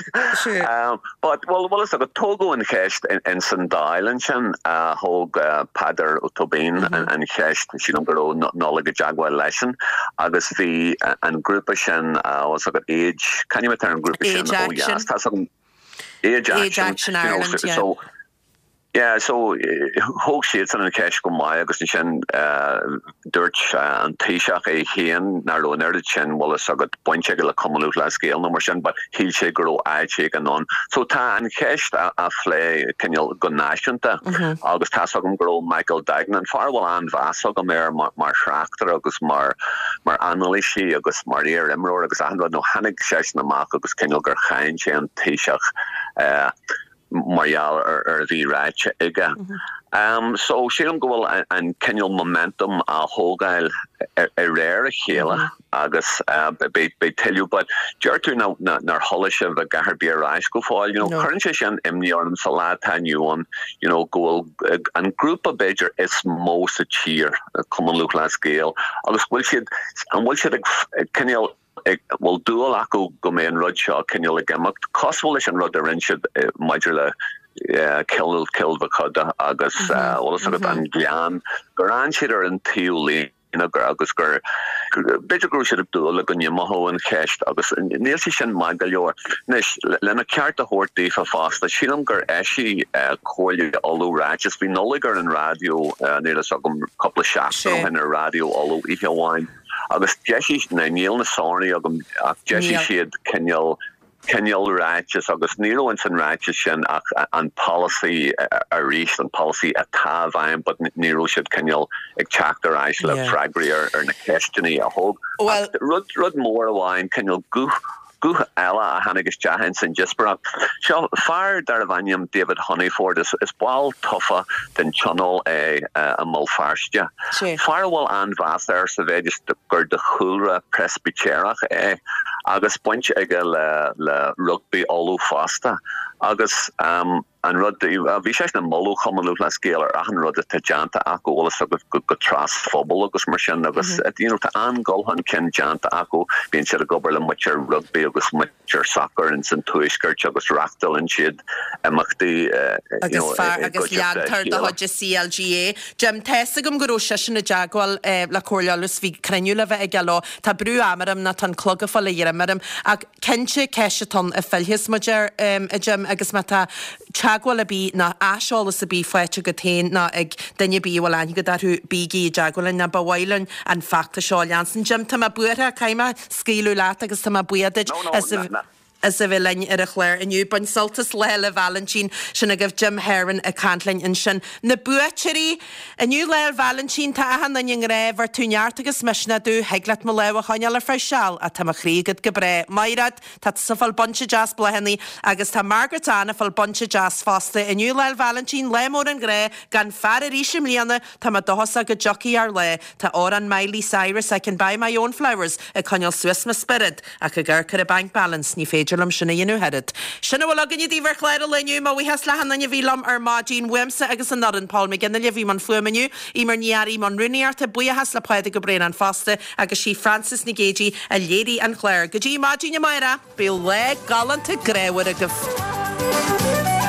S7: But, bhuel, bhfuil fhios agat, tógadh an cheist ins an Dáil ansin, thóg Peadar Ó Tóibín an cheist, sílim go raibh Nollaig i dteagmháil leisean, agus bhí an grúpa sin, bhfuil fhios agat, Age, c'ainm atá ar an ngrúpa sin ó dheas? Tá fhios agam, Age
S1: Action, you know,
S7: so, Yeah, so thóg siadsan an cheist go maith agus ansin dúirt an Taoiseach é féin nach raibh an oiread sin, bhfuil fhios agat, baint aige le Cumann Lúthchleas Gael nó mar sin but shíl sé go raibh áit éigin ann. So tá an cheist á phlé cineál go náisiúnta agus tá's agam go raibh Michael Duignan, fear a bhfuil an-mheas agam air mar thráchtaire agus mar mar anailísí agus mar iar-imreoir agus achan rud, nó tháinig seisean amach agus cineál gur cháin sé an Taoiseach mar gheall ar a bhí ráite aige. So sílim go bhfuil an cineál momentum á thógáil de réir a chéile agus beidh tuilleadh but deir tú nár chuala sibh a dhath ar bith ar ais go fóill. You know, cuireann sé sin imní orm sa lá atá inniu ann, you know, go bhfuil an grúpa b'fhéidir is mó sa tír, Cumann Lúthchleas Gael, agus go bhfuil siad, an bhfuil siad ag cineál bhfuil dúil acu go mbeidh an rud seo cineál ag imeacht, cosúil leis an rud a rinne siad maidir le Cill Cill Mochuda agus bhfuil fhios agat an Gleann, gur fhan siad ar an taobh líne agus gur, b'fhéidir go raibh siad ag dúil le go n-imeodh an cheist agus níl sé sin maith go leor. Anois, lena ceart a thabhairt daofa fosta, sílim gur eisigh Comhairle Uladh ráiteas, bhí Nollaig ar an raidió, níl fhios agam, cúpla seachtain ó shin ar Raidió Uladh oíche amháin, Agus d'eisigh, now níl na sonraí agam ach d'eisigh siad cineál, cineál ráiteas agus ní raibh ins an ráiteas sin ach an polasaí arís, an polasaí atá i bhfeidhm but ní raibh siad cineál ag teacht ar ais le freagraí ar na ceisteanna a thóg. Ach rud, rud mór amháin, cineál guth, Guth eile a tháinig isteach ins an díospóireacht. Seo fear darbh ainm David Honeyford. Is ball tofa den Tionól é i mBéal Feirste. Fear a bhfuil an-mheas air sa mhéid is gur de chúlra Preispitéireach é agus baint aige le Rugbaí Uladh fosta. Agus. An rud, bhí seisean ag moladh Chumann Lúthchleas Gael ar achan rud atá déanta acu, bhfuil fhios agat, go tras-phobal agus mar sin agus you know tá an-dul chun cinn déanta acu, bíonn siad ag obair le muintir rugbaí agus muintir sacair ins an tuaisceart agus reachtálann siad imeachtaí you know
S1: Agus fear
S7: i
S1: agus
S7: gcuideachta a
S1: leantóir de
S7: chéile.
S1: chuid an CLG é. Jim, tá fhios agam go raibh seisean i dteagmháil le Comhairle Uladh 's bhí cruinniú le bheith aige leo. Tá brú ama orm nó tá an clog ag fáil a ghreim orm ach cinnte ceist atá ann a phillfeas muid air, a Jim, agus má tá teagmháil ar bith nó aiseolas ar bith faighte agat féin nó ag duine ar bith a bhfuil aithne agat orthu, bígí i dteagmháil linn nó ba mhaith linn an feachtas seo a leanstan. Jim, tá mé buartha, caithfidh mé scaoileadh leat agus tá mé buíoch duit as a. as a bheith linn ar an chlár inniu. Bain sult as Lá 'le Vailintín. Sin agaibh Jim Herron ag caint linn ansin. Na buaiteoirí! Inniu Lá 'le Vailintín, tá achan duine i ngrá, bheir tú neart agus misneach domh, thig leat mo lámh a choinneáil ar feadh seal, ach tá mo chroí agat go bráth. Mairéad, tá tusa ag fáil bunch deas bláthanna agus tá Margaret Ann ag fáil bunch deas fosta. Inniu Lá 'le Vailintín, lá mór an ghrá, gan fear arís i mbliana, tá mé dóchasach go dtiocfaidh ár lá. Tá amhrán Miley Cyrus, I Can Buy My Own Flowers, ag coinneáil suas mo spiorad. Ach ag amharc ar an bank balance, ní féidir liom sin a dhéanamh oiread. Sin a bhfuil againne daoibh ar chlár an lae inniu. Mo bhuíochas le achan duine a bhí liom ar maidin. Uaimse agus an fhoireann, Paul McGinley a bhí i mbun fuaime inniu, Eimear Ní Fhearraigh i mbun rúnaíochta, buíochas le Pádraig Ó Braonáin fosta agus sí Frances Nic Géadaigh a léirigh an clár. Go dtí maidin amárach, bíodh lá galánta grámhar agaibh.